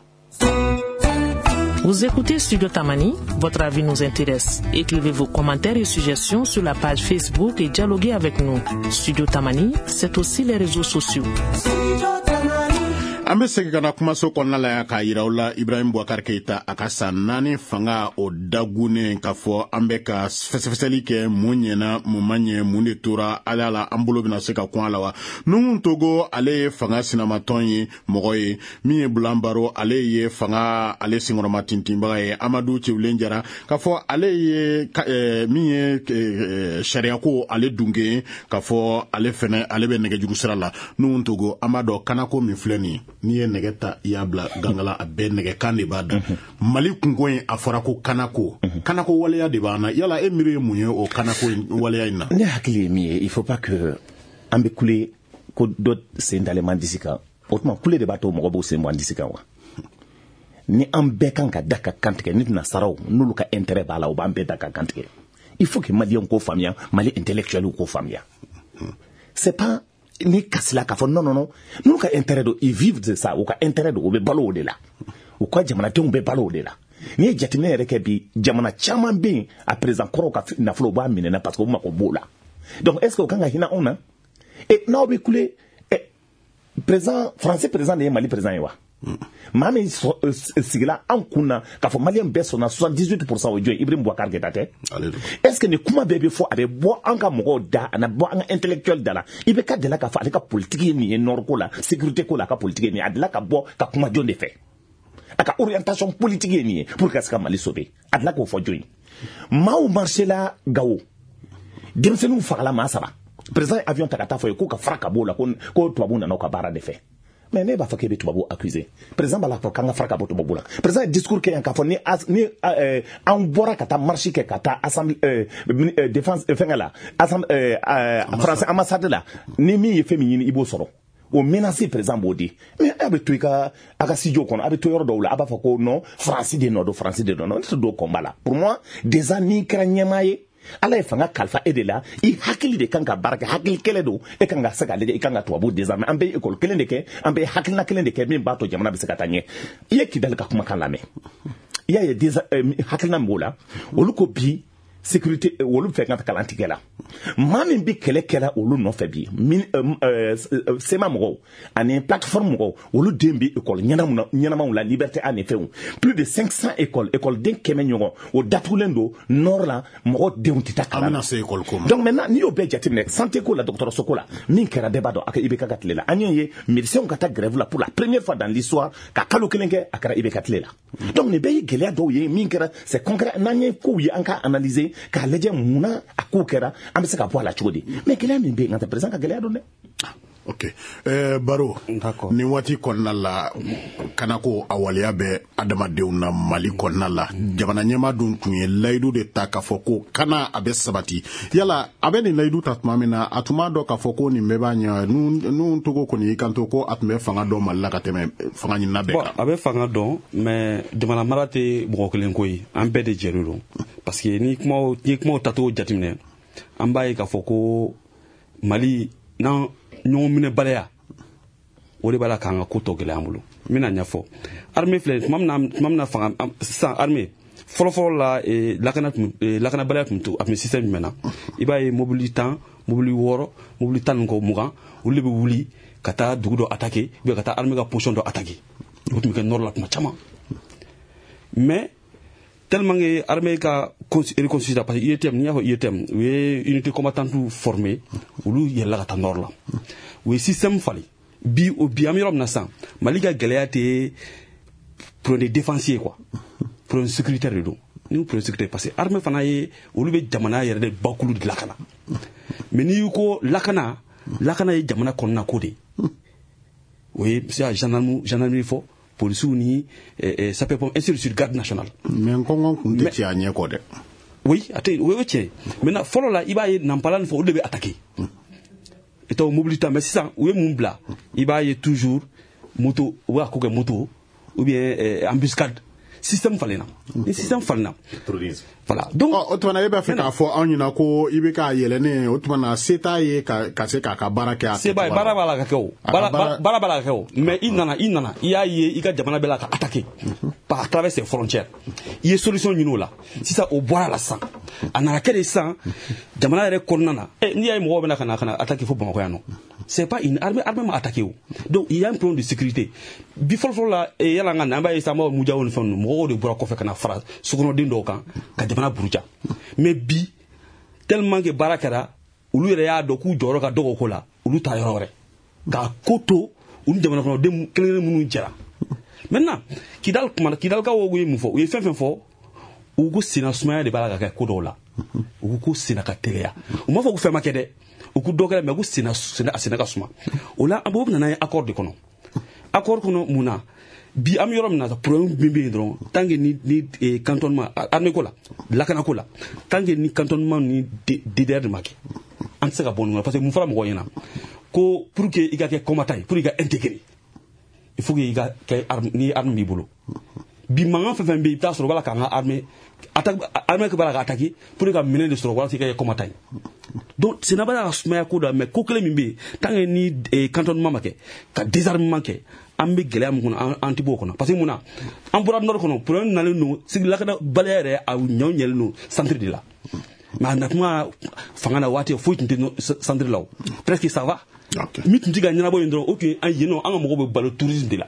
Vous écoutez Studio Tamani, votre avis nous intéresse. Écrivez vos commentaires et suggestions sur la page Facebook et dialoguez avec nous. Studio Tamani, c'est aussi les réseaux sociaux. An bɛ segin ka na kumaso kɔnɔna la yan k'a yira aw la Ibrahim Boubacar Keita a ka san 4 fanga o dagunnen k'a fɔ an bɛ ka fɛsɛfɛsɛli kɛ mun ɲɛna mun ma ɲɛ mun de tora ala la an bolo bɛna se ka kun a la wa. Nuhun Togo ale ye fanga sinamatɔn ye mɔgɔ ye min ye Bulan Baro ale ye fanga ale senkɔrɔma tintinbaga ye Amadu Cewulen Jara k'a fɔ ale ye min ye sariyako ale dunke ye k'a fɔ ale fɛnɛ ale bɛ nɛgɛjuru sira la. Nuhun Togo an b'a dɔn kanako min filɛ nin ye n'i ye nɛgɛ ta i y'a bila gangala a bɛɛ nɛgɛkan de b'a da. Mali kunko in a fɔra ko kanako kanako waleya de b'an na, yala e miiri ye mun ye o kanako waleya in na? Ne hakili ye min ye, il faut pas que an bɛ kule ko dɔ sen dalen man disi kan, o tuma kule de b'a to mɔgɔ b'o sen bɔ an disi kan wa. Ni an bɛɛ kan ka da ka kantigɛ ni nasaraw n'olu ka intérêt b'a la, o b'an bɛɛ da ka kantigɛ. Il faut que maliyɛnw k'o faamuya, Mali intellectuels k'o faamuya. C'est pas ni kasila k'a fɔ non non non, n'olu ka intérêt don, ils vivent de ça, u ka intérêt don, u bɛ balo o de la, u ka jamanadenw bɛ balo o de la. N'i ye jateminɛ yɛrɛ kɛ bi, jamana caman bɛ yen a président kɔrɔw ka nafolo u b'a minɛ na parce que u mako b'o la. Donc est ce que o kan ka hinɛ anw na? Et n'aw bɛ kule président français président de ye Mali président ye wa? Maa min sigila an kun na k'a fɔ maliyɛn bɛɛ sɔnna 78% o jɔn ye Ibrahim Boubacar Keita tɛ? Est ce que nin kuma bɛɛ bɛ fɔ a bɛ bɔ an ka mɔgɔw da, a na bɔ an ka intellectuel da la? I bɛ ka delila k'a fɔ ale ka politique ye nin ye nord ko la, sécurité ko la, a ka politique ye nin ye, a delila ka bɔ ka kuma jɔn de fɛ? A ka orientation politique ye nin ye pour que ka se ka Mali sauver, a delila k'o fɔ jɔn ye? Maaw marché la Gawo, denmisɛnninw fagala maa 3, président ye avion ta ka taa fɔ ye k'u ka fara ka bɔ o la, ko tubabuw nana u ka baara de fɛ. Mais ne b'a fɔ k'e bɛ tubabu accuser, président b'a la fɔ k'an ka fara ka bɔ tubabu la. Président ye discours kɛ yan k'a fɔ ni an bɔra ka taa marche kɛ ka taa assemblée défense fɛngɛ la, assemblée français ambassade la, ni min ye fɛn min ɲini i b'o sɔrɔ. O menace président b'o di. Mais a bɛ to i ka a ka studio kɔnɔ, a bɛ to yɔrɔ dɔw la, a b'a fɔ ko non, France de nɔ don, France de nɔ don. Ne tɛ don combat la. Pour moi déjà n'i kɛra ɲɛmaa ye, Ala ye fanga kalifa e de la, i hakili de kan ka baara kɛ, hakili kɛlɛ don, e kan ka se k'a lajɛ, i kan ka tubabu désarmer. An bɛ école kelen de kɛ, an bɛ hakilina kelen de kɛ min b'a to jamana bɛ se ka taa ɲɛ. I ye Kidali ka kumakan lamɛn, i y'a ye hakilina min b'o la, olu ko bi sécurité olu fɛ ka kalan tigɛ la. Maa min bɛ kɛlɛ kɛla olu nɔfɛ bi, SEMA mɔgɔw ani plateforme mɔgɔw, olu den bɛ école ɲɛnamaw la, Liberté A ni fɛnw, plus de 500 écoles, école-den 100 ɲɔgɔn o datugulen don nord la, mɔgɔ denw tɛ taa kalan na. An bɛna se école ko ma. Donc maintenant n'i y'o bɛɛ jateminɛ, santé ko la, dɔgɔtɔrɔso ko la, min kɛra bɛɛ b'a dɔn a ka IBK ka tile la, an y'o ye médecins ka taa grève la pour la première fois dans l'histoire, ka kalo kelen kɛ, a kɛra IBK tile la. Donc nin bɛɛ ye gɛlɛya dɔw ye min kɛra, c'est concret, n'an ye kow ye an ka analyser k'a lajɛ munna a kow kɛra, an bɛ se ka bɔ a la cogo di. Mais gɛlɛya min bɛ yen, nka tɛ président ka gɛlɛya don dɛ. Ok, Baro, nin waati kɔnɔna la, kanako a waleya bɛ adamadenw na Mali kɔnɔna la, jamana ɲɛmaa dun tun ye layidu de ta k'a fɔ ko kana a bɛ sabati. Yala a bɛ nin layidu ta tuma min na, a tun b'a dɔn k'a fɔ ko nin bɛɛ b'a ɲɛ? Nuhun Togo kɔni y'i kanto ko a tun bɛ fanga dɔn Mali la ka tɛmɛ fanga ɲinina bɛɛ kan. A bɛ fanga dɔn, mais jamana mara tɛ mɔgɔ kelen ko ye, an bɛɛ de jɛlen don. Parce que ni kumaw tacogo jateminɛ, an b'a ye k'a fɔ ko Mali n'an ɲɔgɔn minɛ baliya, o de b'a la k'an ka ko tɔ gɛlɛya an bolo. N bɛna ɲɛfɔ. Armée filɛ, tuma min na fanga sisan armée fɔlɔfɔlɔ la, lakanabaliya tun to a tun bɛ système jumɛn na? I b'a ye mobili 10, mobili 6, mobili 10 ni kɔ 20, olu de bɛ wuli ka taa dugu dɔ attaquer, ou bien ka taa armée ka position dɔ attaquer. O tun bɛ kɛ nord la tuma caman. Mais tellement que l'armée ka reconstitué, parce que UETM, n'i y'a fɔ UETM, u ye unité combattante formée, olu yɛlɛla ka taa nord la, u ye système falen. Bi o bi an bɛ yɔrɔ min na sisan, Mali ka gɛlɛya tɛ problème de défense ye quoi, problème sécuritaire de don. Ni problème sécuritaire, parce que armée fana ye olu bɛ jamana yɛrɛ de bakulu de lakana. Mais n'i ko lakana, lakana ye jamana kɔnɔna ko de ye. O ye se ka gendarmerie fɔ, policiers ni sapeurs-pompiers, ainsi de suite, garde nationale. Mais nkɔngɔn kun tɛ ci a ɲɛ kɔ dɛ. Oui, a tɛ, o ye tiɲɛ ye. Maintenant fɔlɔ la, i b'a ye Nampala ni fɛn, olu de bɛ attaquer. I t'o mobili ta, mais sisan u ye mun bila? I b'a ye toujours moto, u b'a ko kɛ moto ou bien embuscade. Système falenna. Ni système falenna. Voilà. Donc o tuma na e b'a fɛ k'a fɔ anw ɲɛna ko i bɛ k'a yɛlɛnnen, o tuma na se t'a ye ka se k'a ka baara kɛ. Se b'a ye, baara b'a la ka kɛ o. Baara b'a la ka kɛ o. Mais i nana, i y'a ye i ka jamana bɛɛ la ka attaquer par à travers ses frontières. I ye solution ɲini o la. Sisan o bɔra la sisan. A nana kɛ de sisan jamana yɛrɛ kɔnɔna na. N'i y'a ye mɔgɔw bɛna ka na attaquer fo Bamakɔ yan nɔ. C'est pas une armée, armée ma attaqué o. Donc il y a un problème de sécurité. Bi fɔlɔ fɔlɔ la, yala an ka na, an b'a ye sisan, an b'a fɔ Mujawo ni fɛn ninnu, mɔgɔw de bɔra kɔfɛ ka na fara sokɔnɔden dɔw kan ka jamana buruja. Mais bi, tellement que baara kɛra, olu yɛrɛ y'a dɔn k'u jɔyɔrɔ ka dɔgɔ o ko la, olu taara yɔrɔ wɛrɛ k'a ko to olu jamana kɔnɔden kelen kelen minnu jɛra. Maintenant, Kidal kuma, Kidalikaw ye mun fɔ? U ye fɛn fɛn fɔ, u ko senna sumaya de b'a la ka kɛ ko dɔw la. U ko ko senna ka teliya. U m'a fɔ ko fɛn ma kɛ dɛ, u ko dɔ kɛra, mais ko senna senna a senna ka suma. O la, an b'o bɛ na n'a ye accord de kɔnɔ. Accord kɔnɔ mun na? Bi an bɛ yɔrɔ min na, problème min bɛ yen dɔrɔn, tant que ni cantonnement armée ko la, lakana ko la, tant que ni cantonnement ni DDR de ma kɛ, an tɛ se ka bɔ nin kɔnɔ. Parce que mun fɔra mɔgɔw ɲɛna? Ko pour que i ka kɛ combattant ye, pour que i ka intégrer, il faut que i ka kɛ arme, ni arme b'i bolo. Bi mankan fɛn fɛn bɛ yen, i bɛ taa sɔrɔ u b'a la k'an ka armée attaque, armée b'a la ka attaquer pour que ka minɛn de sɔrɔ walasa i ka kɛ combattant ye. Donc senna b'a la ka sumaya ko dɔ, mais ko kelen min bɛ yen, tant que ni cantonnement ma kɛ, ka désarmement kɛ, an bɛ gɛlɛya min kɔnɔ, an tɛ bɔ o kɔnɔ. Parce que mun na? An bɔra nord kɔnɔ, problème nalen don sigi lakana baliya yɛrɛ, a ɲɔ ɲɛlen don centre de la. Mais a natuma fanga na waati, foyi tun tɛ centre la o, presque ça va. Min tun tɛ ka ɲɛnabɔ yen dɔrɔn, o tun ye an yen nɔ, an ka mɔgɔw bɛ balo tourisme de la.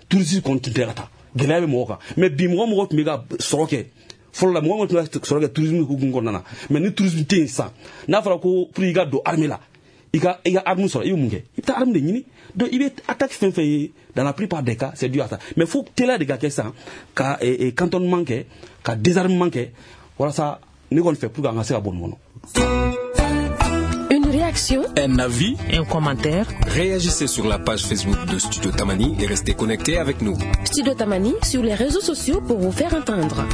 Tourisme kɔni tun tɛ ka taa, gɛlɛya bɛ mɔgɔ kan. Mais bi, mɔgɔ mɔgɔ tun bɛ ka sɔrɔ kɛ fɔlɔ la, mɔgɔ mɔgɔ tun bɛ ka sɔrɔ kɛ tourisme hukumu kɔnɔna na. Mais ni tourisme tɛ yen sisan, n'a fɔra ko pour i ka don armée la, i ka arme sɔrɔ, i bɛ mun kɛ? I bɛ taa arme de ɲini. Donc i bɛ attaque fɛn fɛn ye, dans la plupart des cas, c'est dû à ça. Mais fo teliya de ka kɛ sisan ka cantonnement kɛ, ka désarmement kɛ, walasa ne kɔni fɛ, pour que an ka se ka bɔ nin kɔnɔ. Une réaction? Un avis? Un commentaire? Réagissez sur la page Facebook de Studio Tamani et restez connectés avec nous. Studio Tamani sur les réseaux sociaux pour vous faire entendre.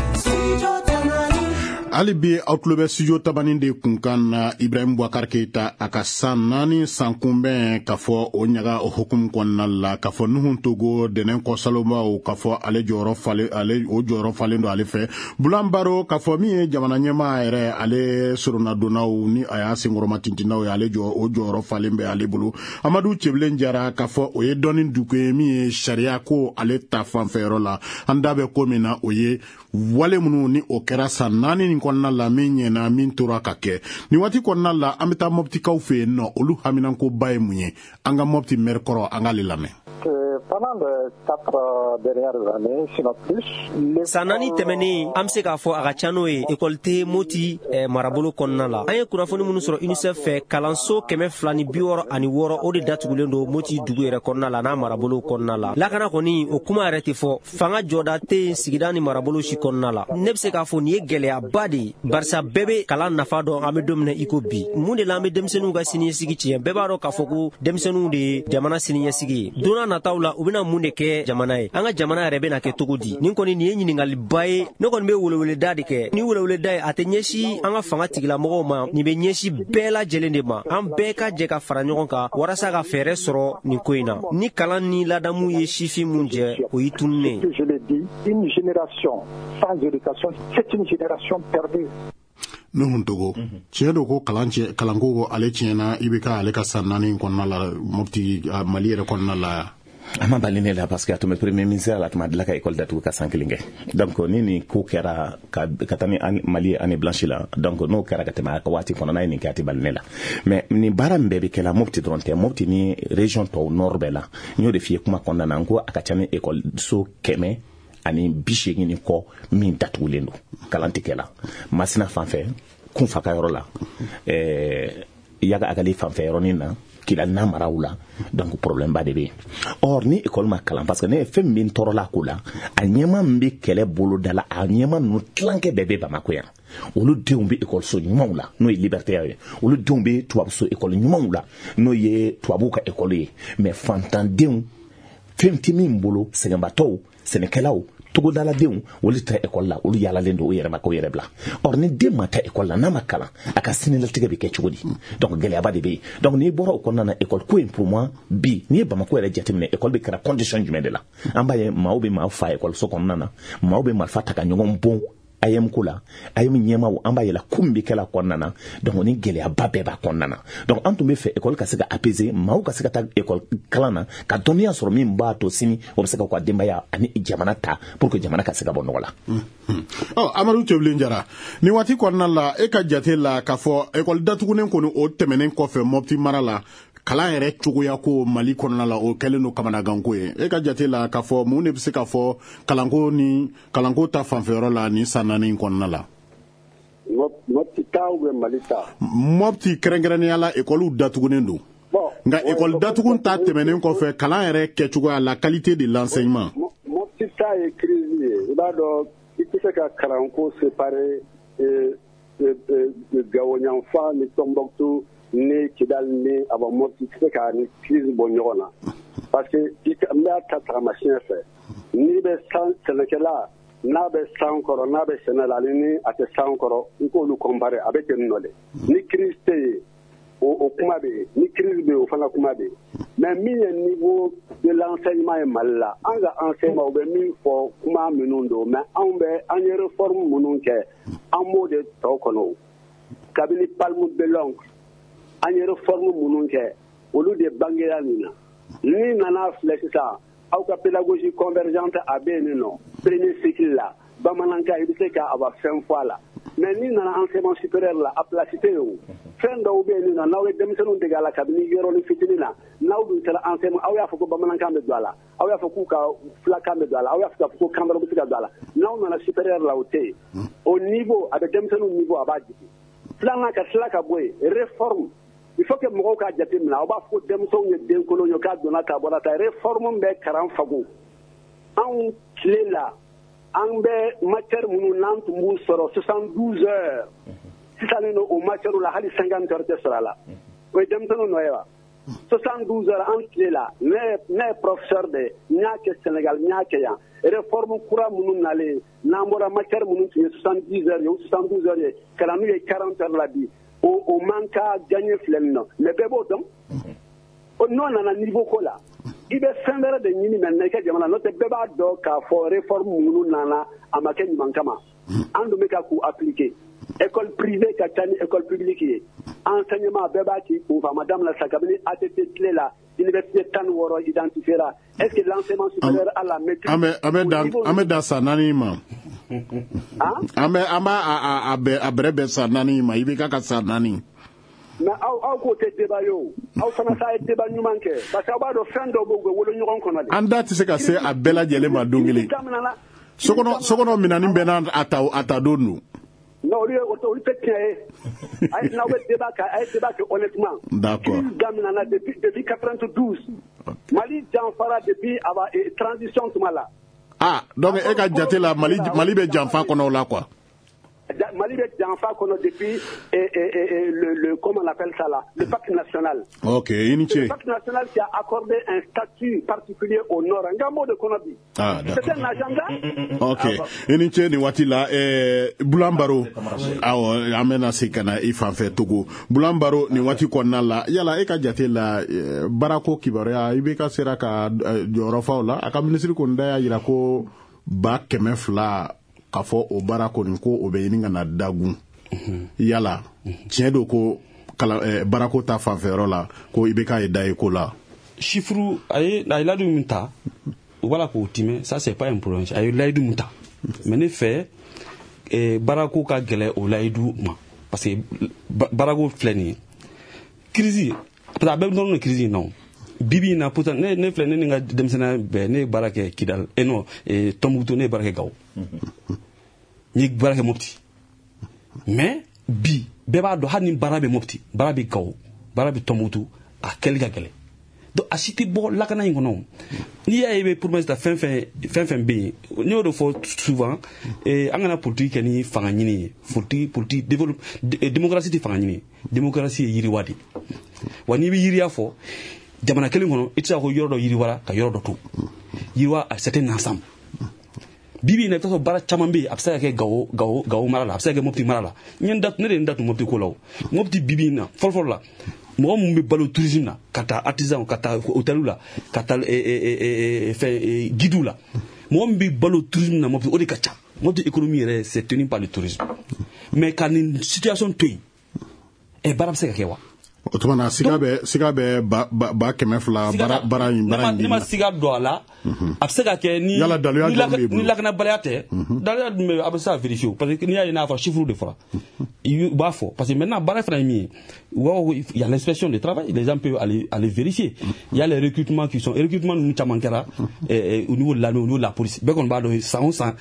Hali bi, aw tulo bɛ Studio Tabani de kunkan na. Ibrahim Boubacar Keita a ka san 4 san kunbɛn, k'a fɔ o ɲaga o hukumu kɔnɔna la, k'a fɔ Nuhun Togo dɛnɛn kɔsalomaw, k'a fɔ ale jɔyɔrɔ falen, ale o jɔyɔrɔ falen don ale fɛ. Bulan Baro, k'a fɔ min ye jamana ɲɛmaa yɛrɛ, ale soronadonnaw ni a y'a senkɔrɔma tintinnaw ye, ale jɔ o jɔyɔrɔ falen bɛ ale bolo. Amadu Cɛbilen Jara, k'a fɔ o ye dɔnni dugu ye min ye sariya ko ale ta fanfɛyɔrɔ la. An da bɛ ko min na, o ye wale minnu ni o kɛra san 4 nin kɔnɔna la, min ɲɛna, min tora ka kɛ nin waati kɔnɔna la. An bɛ taa Mɔpitikaw fɛ yen nɔ, olu haminankoba ye mun ye? An ka Mɔpiti mɛri kɔrɔ, an k'ale lamɛn. Pendant les 4 dernières années, sinon plus, San 4 tɛmɛnen, an be se k'a fɔ a ka ca n'o ye, ekɔli tɛ Moti marabolo kɔnɔna la. An ye kunnafoni minnu sɔrɔ UNICEF fɛ, kalanso 266, o de datugulen don Moti dugu yɛrɛ kɔnɔna la n'a marabolo kɔnɔna la. Lakana kɔni, o kuma yɛrɛ tɛ fɔ. Fanga jɔda tɛ yen sigida ni marabolo si kɔnɔna la. Ne be se k'a fɔ nin ye gɛlɛyaba de ye, barisa bɛɛ be kalan nafa dɔn. An be don min na i ko bi, mun de la an be denmisɛnninw ka siniɲɛsigi tiɲɛ? Bɛɛ b'a dɔn k'a fɔ ko denmisɛnninw de ye jamana siniɲɛsigi ye. Don n'a nataw la, u bɛna mun de kɛ jamana ye? An ka jamana yɛrɛ bɛna kɛ cogo di? Nin kɔni, nin ye ɲiningaliba ye. Ne kɔni bɛ weleweleda de kɛ. Ni weleweleda ye, a tɛ ɲɛsin an ka fanga tigilamɔgɔw ma, nin bɛ ɲɛsin bɛɛ lajɛlen de ma. An bɛɛ ka jɛ ka fara ɲɔgɔn kan walasa ka fɛɛrɛ sɔrɔ nin ko in na. Ni kalan ni ladamu ye sifin mun jɛ, o y'i tununnen ye. Je l'ai dit, une génération sans éducation, c'est une génération perdue. Nuhun Togo, tiɲɛ don ko kalan tiɲɛ, kalanko ale tiɲɛna i bɛ ka ale ka san 4 kɔnɔna la Mopti, Mali yɛrɛ kɔnɔna la? A ma bali ne la, parce que a tun bɛ premier ministre la, a tun ma dilan ka école datugu ka san 1 kɛ. Donc ni nin ko kɛra ka taa ni Mali ye année blanche la, donc n'o kɛra ka tɛmɛ a ka waati kɔnɔ, n'a ye nin kɛ, a tɛ bali ne la. Mais nin baara min bɛɛ bɛ kɛ la, Mopti dɔrɔn tɛ, Mopti ni région tɔw nord bɛɛ la. N y'o de f'i ye kuma kɔnɔna na, n ko a ka ca ni école so 180 ni kɔ min datugulen don, kalan tɛ kɛ la. Masina fan fɛ, Kunfa ka yɔrɔ la, Yaga Agali fan fɛ yɔrɔnin na, Kidali n'a maraw la. Donc problème ba de bɛ yen. Or ni école ma kalan, parce que ne ye fɛn min tɔɔrɔla ko la, a ɲɛma min bɛ kɛlɛ boloda la, a ɲɛma ninnu tilankɛ bɛɛ bɛ Bamako yan. Olu denw bɛ école ɲumanw la, n'o ye liberté ye. Olu denw bɛ tubabuso école ɲumanw la, n'o ye tubabuw ka école ye. Mais fantandenw, fɛn tɛ min bolo, sɛgɛnbatɔw, sɛnɛkɛlaw, togodaladenw, olu tɛ école la, olu yaalalen don u yɛrɛ ma k'u yɛrɛ bila. Or ni den ma taa école la, n'a ma kalan, a ka sinilatigɛ bɛ kɛ cogo di? Donc gɛlɛyaba de bɛ yen. Donc n'i bɔra o kɔnɔna na, école ko in, pour moi, bi n'i ye Bamako yɛrɛ jateminɛ, école bɛ kɛra condition jumɛn de la? An b'a ye maaw bɛ maa fa école so kɔnɔna na, maaw bɛ marifa ta ka ɲɔgɔn bon AEEM ko la, AEEM ɲɛmaw, an b'a yɛlɛ ko min bɛ kɛla kɔnɔna na. Donc ni gɛlɛyaba bɛɛ b'a kɔnɔna na. Donc an tun bɛ fɛ école ka se ka apaiser, maaw ka se ka taa école kalan na ka dɔnniya sɔrɔ min b'a to sini o bɛ se ka u ka denbaya ani jamana ta, pour que jamana ka se ka bɔ nɔgɔ la. Ɔ, Amadu Cɛbilen Jara, nin waati kɔnɔna la, e ka jate la, k'a fɔ école datugunen kɔni, o tɛmɛnen kɔfɛ Mɔpti mara la, Kalan yɛrɛ cogoya ko Mali kɔnɔna la, o kɛlen don kamanaganko ye. E ka jate la, k'a fɔ mun de bɛ se ka fɔ kalanko ni kalanko ta fanfɛyɔrɔ la nin san 4 in kɔnɔna la? Mopti ta ou bien Mali ta? Mopti kɛrɛnkɛrɛnnenya la, ekɔliw datugunen don. Nka ekɔli datugun ta tɛmɛnen kɔfɛ, kalan yɛrɛ kɛcogoya, la qualité de l'enseignement. Mopti ta ye crise ye. I b'a dɔn, i tɛ se ka kalanko séparer Gawo yanfan ni Tombouctou ni Kidal ni aba Mopti, i tɛ se ka ni crise bɔ ɲɔgɔn na. Parce que n b'a ta tagamasiyɛn fɛ. N'i bɛ san sɛnɛkɛla, n'a bɛ san kɔrɔ, n'a bɛ sɛnɛ la, ani ni a tɛ san kɔrɔ, i k'olu comparer, a bɛ ten nɔ de. Ni crise tɛ yen, o kuma bɛ yen. Ni crise bɛ yen, o fana kuma bɛ yen. Mais min ye niveau de l'enseignement ye Mali la, an ka enseignement, u bɛ min fɔ, kuma minnu don, mais anw bɛ an ye réforme minnu kɛ, an b'o de tɔ kɔnɔ. Kabini Palme Bellon, an ye réforme minnu kɛ, olu de bangera nin na. Ni nana filɛ sisan, aw ka pédagogie convergente a bɛ yen nɔ, premier cycle la, bamanankan, i bɛ se ka a ba fɛn fɔ a la. Mais ni nana enseignement supérieur la, a place tɛ yen o. Fɛn dɔw bɛ yen nɔ, n'aw ye denmisɛnninw dege a la kabini yɔrɔnin fitinin na, n'aw dun sera enseignement, aw y'a fɔ ko bamanankan bɛ don a la, aw y'a fɔ k'u ka fulakan bɛ don a la, aw y'a fɔ k'a fɔ ko kan wɛrɛ bɛ se ka don a la, n'aw nana supérieur la, o tɛ yen. O niveau, a bɛ denmisɛnninw niveau, a b'a jigin. Filanan ka tila ka bɔ yen, réforme, il faut que mɔgɔw k'a jate minɛ. Aw b'a fɔ ko denmisɛnw ye denkolon ye, k'a donna ta, a bɔra ta. Réforme bɛ kalan fago. Anw tile la, an bɛ matière minnu n'an tun b'u sɔrɔ 72 heures, sisan nɔ o matière la, hali 50 heures tɛ sɔrɔ a la. O ye denmisɛnninw nɔ ye wa? 72 heures an tile la, ne ye professeur de ye, n y'a kɛ Sénégal, n y'a kɛ yan. Réforme kura minnu nalen, n'an bɔra matière minnu tun ye 70 heures ye ou 72 heures ye, ka na n'u ye 40 heures la bi, o man ka gagner filɛ nin nɔ. Mais bɛɛ b'o dɔn. N'o nana niveau ko la, i bɛ fɛn wɛrɛ de ɲini maintenant i ka jamana, n'o tɛ bɛɛ b'a dɔn k'a fɔ réforme minnu nana, a ma kɛ ɲuman kama. An dun bɛ ka k'u appliquer. École privée ka ca ni école publique ye. Enseignement, bɛɛ b'a k'i kun fɛ. A ma daminɛ sa, kabini ATT tile la, université 16 identifié ra. Est-ce que l'enseignement supérieur a la maîtrise? An bɛ dan san 4 ma. An b'a a bɛɛ a bɛrɛ bɛn san 4 ma, i bɛ ka san 4. Mais aw k'o tɛ débat ye o. Aw fana ta ye débat ɲuman kɛ, parce que aw b'a dɔn, fɛn dɔw bɛ, u bɛ wolo ɲɔgɔn kɔnɔ de. An da tɛ se ka se a bɛɛ lajɛlen ma don kelen. Sokɔnɔ minɛni bɛɛ n'a a ta don don. Non, olu ye, olu tɛ tiɲɛ ye. A ye, n'aw bɛ débat kɛ, a ye débat kɛ honnêtement. D'accord. Crise daminɛna depuis 92. Mali janfara depuis aba transition tuma la. Ah, donc e ka jate la, Mali bɛ janfa kɔnɔ o la quoi. Mali bɛ janfa kɔnɔ depuis et, et, et, le, comment on appelle ça là, le pacte national. Ok, i ni ce. Le pacte national qui a accordé un statut particulier au Nord. N ka m'o de kɔnɔ bi. Ah, d'accord. C'est un agenda. Ok, i ni ce nin waati la. Bulan Baro, awɔ, an bɛna segin ka na i fan fɛ Togo. Bulan Baro, nin waati kɔnɔna la, yala e ka jate la, baarako kibaruya, i bɛ ka sera ka jɔyɔrɔ fa o la? A ka minisiri kɔni da y'a jira ko 200,000 k'a fɔ o baara kɔni ko o bɛ ɲini ka na dagun. Yala tiɲɛ don ko kalan baarako ta fanfɛyɔrɔ la, ko i bɛ k'a ye da ye ko la? Chiffre, a ye layidu min ta, u b'a la k'o timɛ, ça c'est pas un problème. A ye layidu min ta, mais ne fɛ, baarako ka gɛlɛ o layidu ma, parce que baarako filɛ nin ye, crise, parce que a bɛɛ bɛ nɔrɔ crise in na o. Bi bi in na, pourtant ne filɛ, ne ni n ka denmisɛnninya bɛɛ, ne ye baara kɛ Kidal, non, Tombouctou, ne ye baara kɛ Gawo, n ye baara kɛ Mopti. Mais bi, bɛɛ b'a dɔn, hali ni baara bɛ Mopti, baara bɛ Gawo, baara bɛ Tombouctou, a kɛli ka gɛlɛn. Donc a si tɛ bɔ lakana in kɔnɔ. N'i y'a ye i bɛ promesse ta, fɛn fɛn, fɛn fɛn bɛ yen, ne y'o de fɔ souvent, an kana politique kɛ ni fanga ɲini ye. Politique développe, démocratie tɛ fanga ɲini ye, démocratie ye yiriwa de ye. Wa n'i bɛ yiriya fɔ jamana kelen kɔnɔ, i tɛ se ka ko yɔrɔ dɔ yiriwara ka yɔrɔ dɔ to yiriwa. C'est un ensemble. Bi bi in na, i bɛ taa sɔrɔ baara caman bɛ yen, a bɛ se ka kɛ Gawo mara la, a bɛ se ka kɛ Mopti mara la. N ye n da, ne de ye n da tun Mopti ko la. O Mopti, bi bi in na, fɔlɔ fɔlɔ la, mɔgɔ mun bɛ balo tourisme na, ka taa artisan, ka taa hôtel la, ka taa fɛn guide la, mɔgɔ min bɛ balo tourisme na Mopti, o de ka ca. Mopti économie yɛrɛ, c'est tenu par le tourisme. Mais ka nin situation to yen, baara bɛ se ka kɛ wa? O tuma na siga bɛ 200,000 baara in. Ne ma siga don a la. A bɛ se ka kɛ ni yala daluya jumɛn b'i bolo? Ni lakanabaliya tɛ. Daluya jumɛn bɛ, a bɛ se ka vérifier o, parce que n'i y'a ye n'a fɔ chiffre de fɔra, i b'a fɔ parce que maintenant baara fana ye min ye, u b'a fɔ il y a l'inspection de travail, les gens peuvent aller vérifier. Il y a les recrutements qui sont recrutement ninnu caman kɛra au niveau de l'armée, au niveau de la police, bɛɛ kɔni b'a dɔn san o san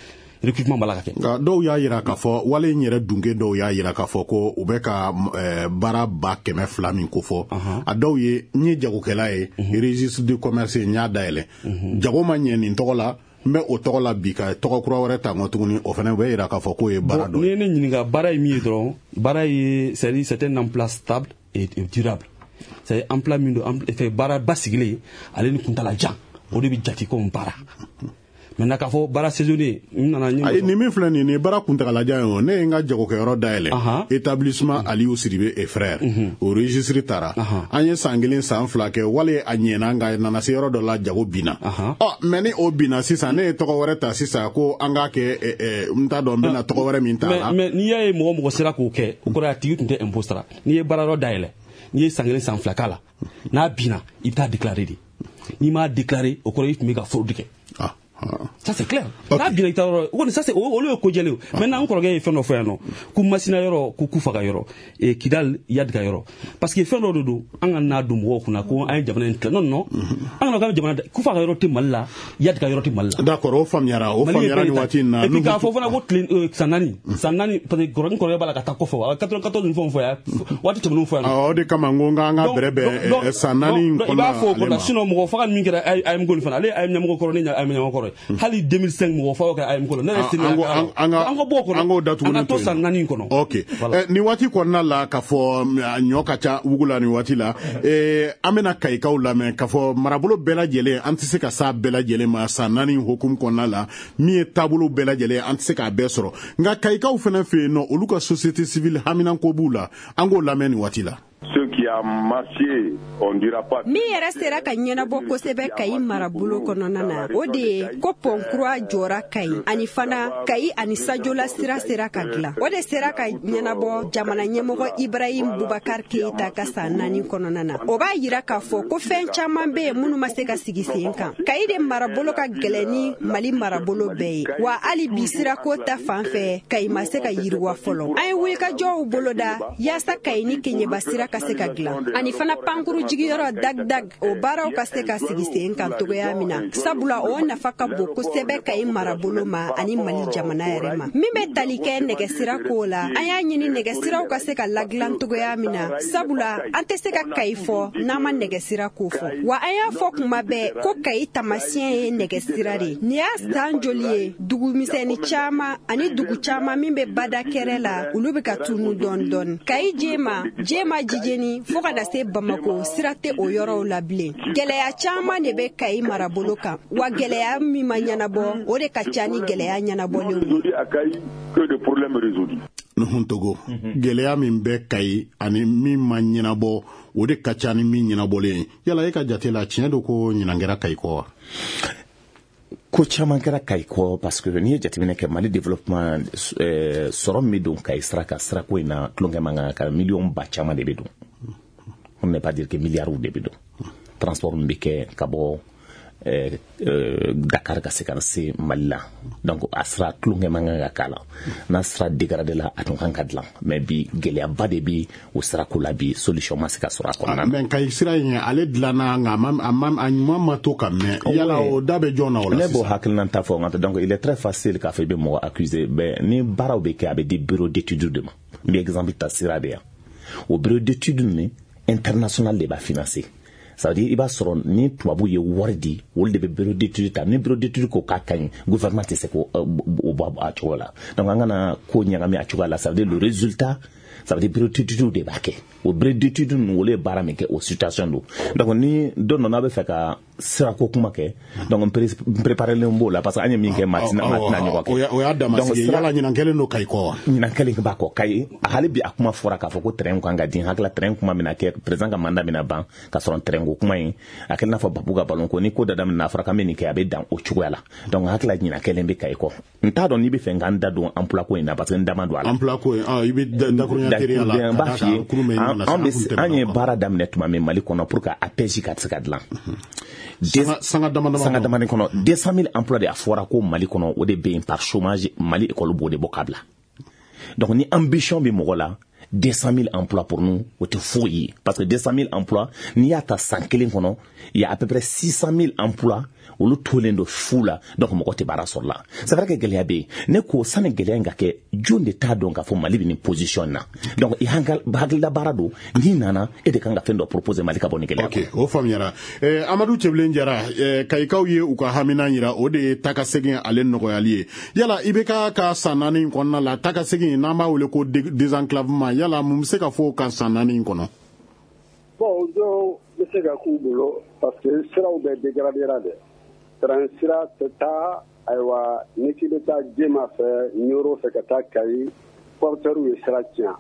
recrutement b'a la ka kɛ. Nka dɔw y'a yira k'a fɔ wale in yɛrɛ dunke dɔw y'a yira k'a fɔ ko u bɛ ka baara 200,000 min kofɔ. A dɔw ye n ye jagokɛla ye, registre de commerce n y'a dayɛlɛ, jago ma ɲɛ nin tɔgɔ la, n bɛ o tɔgɔ la bi ka tɔgɔ kura wɛrɛ ta n kɔ tuguni, o fana bɛ yira k'a fɔ k'o ye baara dɔ ye. N'i ye ne ɲininka baara ye min ye dɔrɔn, baara ye c'est un emploi stable et durable, c'est emploi min don, baara basigilen ale ni kuntala jan, o de bɛ jate komi baara. Maintenant k'a fɔ baara saisonnier n nana ɲɛ. Ayi, nin min filɛ nin ye baara kuntagalajan ye o, ne ye n ka jagokɛyɔrɔ dayɛlɛ, établissement Aliou Sidibé et frères, o registre taara, an ye san 1 san 2 kɛ, wale a ɲɛna, nka nana se yɔrɔ dɔ la jago binna. Ɔ mais ni o binna sisan, ne ye tɔgɔ wɛrɛ ta sisan ko an k'a kɛ, n t'a dɔn n bɛna tɔgɔ wɛrɛ min ta a la. Mais n'i y'a ye mɔgɔ sera k'o kɛ, o kɔrɔ ye a tigi tun tɛ impôt sara. N'i ye baara yɔrɔ dayɛlɛ, n'i ye san 1 san 2 k'a la, n'a binna, i bɛ taa déclarer de. N'i m'a déclarer, o kɔrɔ ye i tun bɛ ka fraude kɛ. Ça c'est clair. N'a binna i ta yɔrɔ, o kɔni ça c'est olu ye ko jɛlen ye. Maintenant n kɔrɔkɛ ye fɛn dɔ fɔ yan nɔ, ko Masina yɔrɔ, ko Kufa ka yɔrɔ, Kidal Yadi ka yɔrɔ, parce que fɛn dɔ de don, an ka n'a don mɔgɔw kunna ko an ye jamana in tila. Non, an kana k'an bɛ jamana, Kufa ka yɔrɔ tɛ Mali la, Yadi ka yɔrɔ tɛ Mali la. D'accord, o faamuyara, o faamuyara nin waati in na. Et puis k'a fɔ fana ko tile san naani, parce que n kɔrɔkɛ b'a la ka taa kɔfɛ, 94 ni fɛnw fɔ yan, waati tɛmɛnenw fɔ yan. Awɔ, o de kama n ko n k'an ka bɛrɛ bɛn san 4 in kɔnɔna. I b'a fɔ o kɔnɔ, sinon mɔgɔ faga min kɛra AMK fana, ale ye AM ɲɛmɔgɔ kɔrɔ, ne ye AM ɲɛmɔgɔ kɔrɔ ye. Hali 2005 mɔgɔ faga kɛra AM kɔnɔ, ne yɛrɛ sen an ka bɔ o kɔnɔ, an k'o datugu, an ka to san 4 in kɔnɔ. Ok, nin waati kɔnɔna la k'a fɔ ɲɔ ka ca wugu la nin waati la, an bɛna Kayikaw lamɛn k'a fɔ marabolo bɛɛ lajɛlen, an tɛ se ka s'a bɛɛ lajɛlen ma san 4 hukumu kɔnɔna la, min ye taabolo bɛɛ lajɛlen an tɛ se k'a bɛɛ sɔrɔ, nka Kayikaw fana fɛ yen nɔ, olu ka société civile haminanko b'u la, an k'o lamɛn nin waati la. Ceux qui a marché, on dira pas. Min yɛrɛ sera ka ɲɛnabɔ kosɛbɛ Kayi marabolo kɔnɔna na, o de ye ko pɔn kura jɔra Kayi, ani fana Kayi ani Sajola sira sera ka dilan. O de sera ka ɲɛnabɔ jamana ɲɛmɔgɔ Ibrahim Boubacar Keïta ka san 4 kɔnɔna na. O b'a yira k'a fɔ ko fɛn caman bɛ yen minnu ma se ka sigi sen kan. Kayi de marabolo ka gɛlɛn ni Mali marabolo bɛɛ ye, wa hali bi sirako ta fan fɛ, Kayi ma se ka yiriwa fɔlɔ. An ye wulikajɔw boloda yaasa Kayi ni Keɲeba sira ka se ka dilan, ani fana pankuru jigiyɔrɔ dag-dag, o baaraw ka se ka sigi sen kan togoya min na, sabula o nafa ka bon kosɛbɛ Kayi marabolo ma ani Mali jamana yɛrɛ ma. Min bɛ tali kɛ nɛgɛsira ko la, an y'a ɲini nɛgɛsiraw ka se ka ladilan togoya min na, sabula an tɛ se ka Kayi fɔ n'an ma nɛgɛsira ko fɔ. Wa an y'a fɔ kuma bɛɛ ko Kayi taamasiyɛn ye nɛgɛsira de. Nin y'a san joli ye, dugumisɛnnin caman ani dugu caman min bɛ bada kɛrɛ la, olu bɛ ka tunu dɔɔni dɔɔni. Kayi Jema Jijeni fo ka na se Bamako, sira tɛ o yɔrɔw la bilen. Gɛlɛya caman de bɛ Kayi marabolo kan, wa gɛlɛya min ma ɲɛnabɔ, o de ka ca ni gɛlɛya ɲɛnabɔlenw ye. Nuhun Togo, gɛlɛya min bɛ Kayi ani min ma ɲɛnabɔ, o de ka ca ni min ɲɛnabɔlen ye. Yala e ka jate la, tiɲɛ don ko ɲinan kɛra Kayi kɔ wa? Ko caman kɛra Kayi kɔ, parce que n'i ye jateminɛ kɛ Mali développement, sɔrɔ min bɛ don Kayi sira kan, sirako in na tulonkɛ man kan ka miliyɔn ba caman de bɛ don, on ne pas dire que milliards de bɛ don. Transport min bɛ kɛ ka bɔ Dakar ka se ka se Mali la, donc a sira tulonkɛ man kan ka k'a la, n'a sira dégradé la, a tun kan ka dilan, mais bi gɛlɛyaba de bi o sirako la bi, solution ma se ka sɔrɔ a kɔnɔna na. Mais Kayi sira in ale dilanna, nka a ɲuman ma to ka mɛn, yala o da bɛ jɔn na o la sisan? Ne b'o hakilina ta fɔ, nka donc il est très facile k'a fɔ i bɛ mɔgɔ accuser, mais ni baaraw bɛ kɛ, a bɛ di bureau d'études de ma. N bɛ exemple ta sira de yan, o bureau d'études nin international de b'a financer. Ça veut dire i b'a sɔrɔ ni tubabu ye wari di, olu de bɛ bureau d'études ta, ni bureau d'études ko k'a ka ɲi, gouvernement tɛ se k'o bɔ a cogo la. Donc an kana ko ɲagami a cogoya la. Ça veut dire le résultat, ça veut dire bureau d'études de b'a kɛ. O bureau d'études ninnu, olu ye baara min kɛ, o situation don. Donc ni don dɔ n'a bɛ fɛ ka sirako kuma kɛ, donc n préparelen b'o la, parce que an ye min kɛ, maa tɛna ɲɔgɔn kɛ. O y'a dama sigi. Yala ɲinan kɛlen don Kayi kɔ wa? Ɲinan kɛlen b'a kɔ Kayi. Hali bi a kuma fɔra k'a fɔ ko train kan ka di, hakili la train kuma bɛna kɛ, président ka mandat bɛna ban ka sɔrɔ train ko kuma in a kɛlen n'a fɔ Babu ka ballon ko, ni ko da daminɛ a fɔra k'an bɛ nin kɛ, a bɛ dan o cogoya la. Donc hakili la ɲinan kɛlen bɛ Kayi kɔ. N t'a dɔn n'i bɛ fɛ k'an da don emploi ko in na, parce que n da ma don a la. Emploi ko in, i bɛ dakuruɲɛ Dakuruɲɛ teriya la, n b'a f'i ye, an ye baara daminɛ tuma min Mali kɔnɔ pour que APEJ ka se ka dilan. Sanga dama sanga damani kɔnɔ 200 000 emplois de a fɔra ko Mali kɔnɔ, o de bɛ yen par chômage. Mali école b'o de bɔ ka bila. Donc ni ambition bɛ mɔgɔ la, 200 000 emplois pour nous, o tɛ foyi ye, parce que 200 000 emplois, n'i y'a ta san kelen kɔnɔ, il y a à peu près 600 000 emplois olu tolen don fu la. Donc mɔgɔ tɛ baara sɔrɔ la. C'est vrai que gɛlɛya bɛ yen. Ne ko sani gɛlɛya in ka kɛ, jɔn de t'a dɔn k'a fɔ Mali bɛ nin position na? Donc i hakilila baara don, n'i nana, e de kan ka fɛn dɔ proposer Mali ka bɔ nin gɛlɛya. Ok, o faamuyara. Amadu Cɛbilen Jara, Kayikaw ye u ka hamina yira, o de ye taakasegin ale nɔgɔyali ye. Yala IBK ka san 4 in kɔnɔna la, taakasegin n'an b'a wele ko désenclavement, yala mun bɛ se ka fɔ o kan san 4 in kɔnɔ? Bon, dɔw bɛ se ka k'u bolo, parce que siraw bɛɛ dégradera dɛ. Train sira tɛ taa, ayiwa, ni k'i bɛ taa Jema fɛ, Ɲoro fɛ ka taa Kayi, porteur ye sira tiɲɛ.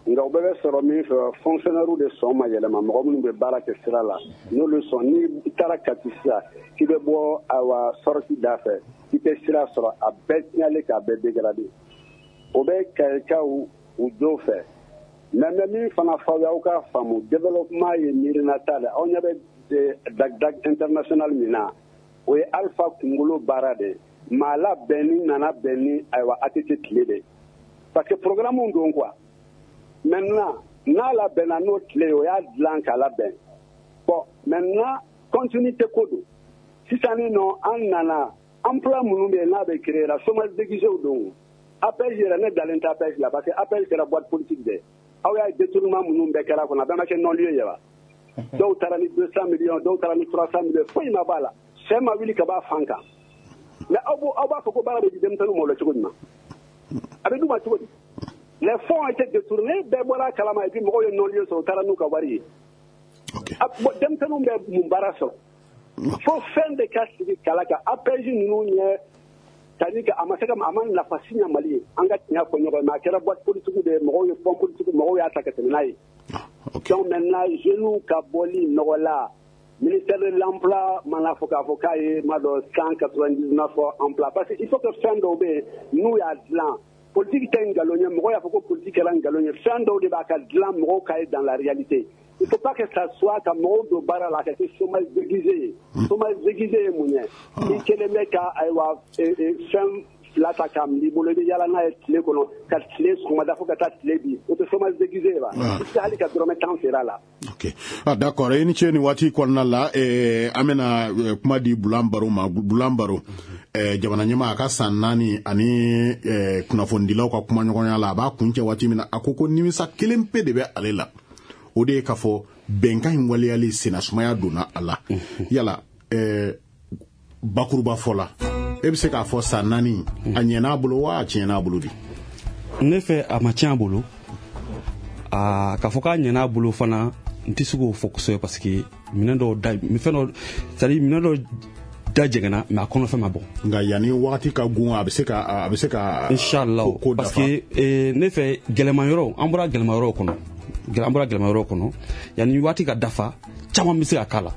Nka u bɛɛ bɛ sɔrɔ min fɛ, fonctionnaire de sɔn ma yɛlɛma, mɔgɔ minnu bɛ baara kɛ sira la, n'olu sɔn. N'i taara Kati sisan k'i bɛ bɔ, ayiwa, sortie da fɛ, k'i tɛ sira sɔrɔ, a bɛɛ tiɲɛlen k'a bɛɛ dégradé. O bɛ Kayikaw u jo fɛ. Mais n bɛ min fana f'aw ye, aw k'a faamu, développement ye miirinata de. Aw ɲɛ bɛ Dag international min na, o ye Alpha kunkolo baara de ye. Maa labɛnni nana bɛn ni, ayiwa, ATT tile de, parce que programme don quoi. Maintenant n'a labɛnna n'o tile ye, o y'a dilan k'a labɛn. Bon, maintenant continuité ko don. Sisan ni nɔ an nana, emploi minnu bɛ yen n'a bɛ créer la, chômage déguisé don. APEJ yɛrɛ, ne dalen tɛ APEJ la, parce que APEJ kɛra boîte politique de ye. Aw y'a ye, détournement minnu bɛɛ kɛra kɔnɔ, a bɛɛ ma kɛ non lieu ye wa? Dɔw taara ni 200 millions, dɔw taara ni 300 millions, foyi ma b'a la. Sɛ ma wuli ka b'a fan kan. Mais aw b'a fɔ ko baara bɛ di denmisɛnninw ma o la cogo jumɛn? A bɛ d'u ma cogo di? Les fonds ont été détournés, bɛɛ bɔra a kalama, et puis mɔgɔw ye non lieu sɔrɔ, u taara n'u ka wari ye. Denmisɛnninw bɛ mun baara sɔrɔ? Fo fɛn de ka sigi kala kan. APEJ ninnu ɲɛ, c'est-à-dire que a ma se ka, a ma nafa si ɲɛ Mali ye. An ka tiɲɛ fɔ ɲɔgɔn ye, mais a kɛra boîte politique de ye, mɔgɔw ye fonds politique, mɔgɔw y'a ta ka tɛmɛ n'a ye. Donc maintenant jeunes ka bɔli nɔgɔ la, ministère de l'emploi mana fɔ k'a fɔ k'a ye ma dɔn 199 emploi, parce que il faut que fɛn dɔw bɛ yen n'u y'a dilan, politique tɛ nkalon ye. Mɔgɔw y'a fɔ ko politique kɛra nkalon ye, fɛn dɔw de b'a ka dilan mɔgɔw ka ye dans la réalité. Il faut pas que ça soit ka mɔgɔw don baara la, ka kɛ chômage déguisé ye. Chômage déguisé ye mun ye? I kelen bɛ ka, ayiwa, fɛn fila ta k'a minɛ i bolo, i bɛ yaala n'a ye tile kɔnɔ, ka tile sɔgɔmada fo ka taa tile bi, o tɛ chômage déguisé ye wa? I tɛ hali ka dɔrɔmɛ 10 feere a la. Ok, ah, d'accord, i ni ce. Nin waati kɔnɔna la, an bɛna kuma di Bulan Baro ma. Bulan Baro, jamana ɲɛmaa a ka san 4 ani kunnafonidilaw ka kumaɲɔgɔnya la, a b'a kun cɛ waati min na, a ko ko nimisa kelen pe de bɛ ale la, o de ye k'a fɔ bɛnkan in waleyali sennasumaya donna a la. Yala bakuruba fɔ la, e bɛ se k'a fɔ san 4 a ɲɛna a bolo wa, a tiɲɛna a bolo de? Ne fɛ, a ma tiɲɛ a bolo. K'a fɔ k'a ɲɛna a bolo fana, n tɛ se k'o fɔ kosɛbɛ, parce que minɛn dɔw da, fɛn dɔ, c'est à dire minɛn dɔ da jɛngɛnna, mais a kɔnɔfɛn ma bɔ. Nka yanni wagati ka gun, a bɛ se ka Inshallah, parce que ne fɛ, gɛlɛman yɔrɔ, an bɔra gɛlɛman yɔrɔw kɔnɔ, an bɔra gɛlɛman yɔrɔw kɔnɔ. Yanni waati ka dafa, caman bɛ se ka k'a la,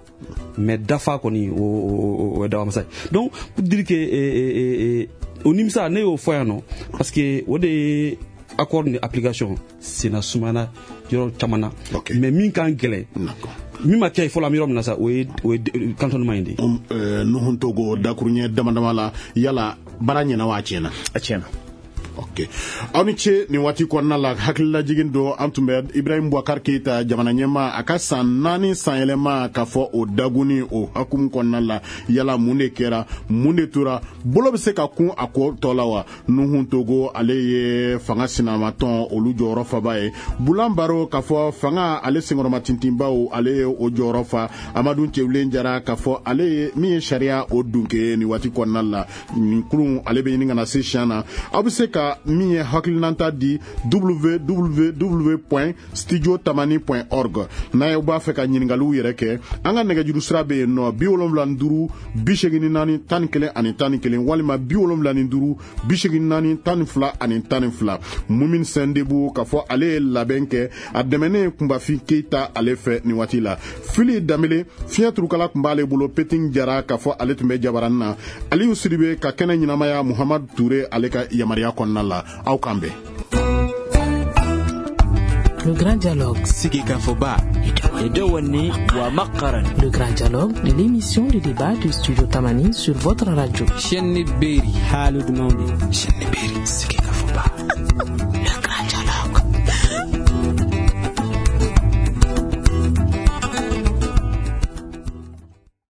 mais dafa kɔni, o ye dabamasa ye. Donc pour dire que o nimisa, ne y'o fɔ yan nɔ, parce que o de ye accord ni application senna sumana yɔrɔ caman na. Mais min kan gɛlɛn, min ma kɛ fɔlɔ, an bɛ yɔrɔ min na sa, o ye cantonnement in de ye. Nuhun Togo, dakuruɲɛ dama dama la, yala baara ɲɛna wa, a tiɲɛna? A tiɲɛna. Ok, aw ni ce. Nin waati kɔnɔna la, hakililajigin don, an tun bɛ Ibrahim Boubacar Keita, jamana ɲɛma, a ka san 4 sanyɛlɛma k'a fɔ o daguni o hukumu kɔnɔna la, yala mun de kɛra, mun de tora, bolo bɛ se ka kun a ko tɔ la wa? Nuhun Togo, ale ye fanga sinamatɔn olu jɔyɔrɔ faba ye. Bulan Baro, k'a fɔ fanga ale senkɔrɔma tintinbaw, ale ye o jɔyɔrɔ fa. Amadu Cɛbilen Jara, k'a fɔ ale ye min ye sariya o dunke. Nin waati kɔnɔna la, nin kurun ale bɛ ɲini ka na se siɲɛ na. Aw bɛ se ka min ye hakilinata di www.studiotamani.org. N'a ye b'a fɛ ka ɲininkaliw yɛrɛ kɛ, an ka nɛgɛjuru sira bɛ yen nɔ: 75 84 11 ani 11, walima 75 84 12 ani 12. Mumin Sɛndebu, k'a fɔ ale ye labɛn kɛ, a dɛmɛnen Kunbafin Keyita ale fɛ. Nin waati la, Fili Danbele fiɲɛ turukala tun b'ale bolo. Petin Jara, k'a fɔ ale tun bɛ jabaranin na. Aliyu Sidibe ka kɛnɛ ɲɛnamaya, Muhamadu Ture ale ka yamaruya kɔnɔna la. Aw kan bɛn. Le Grand Dialogue. Sigikafɔba. Le Grand Dialogue, l'émission de débat du Studio Tamani sur votre radio. Chaîne Berry. Chaîne Berry. Sigikafɔba.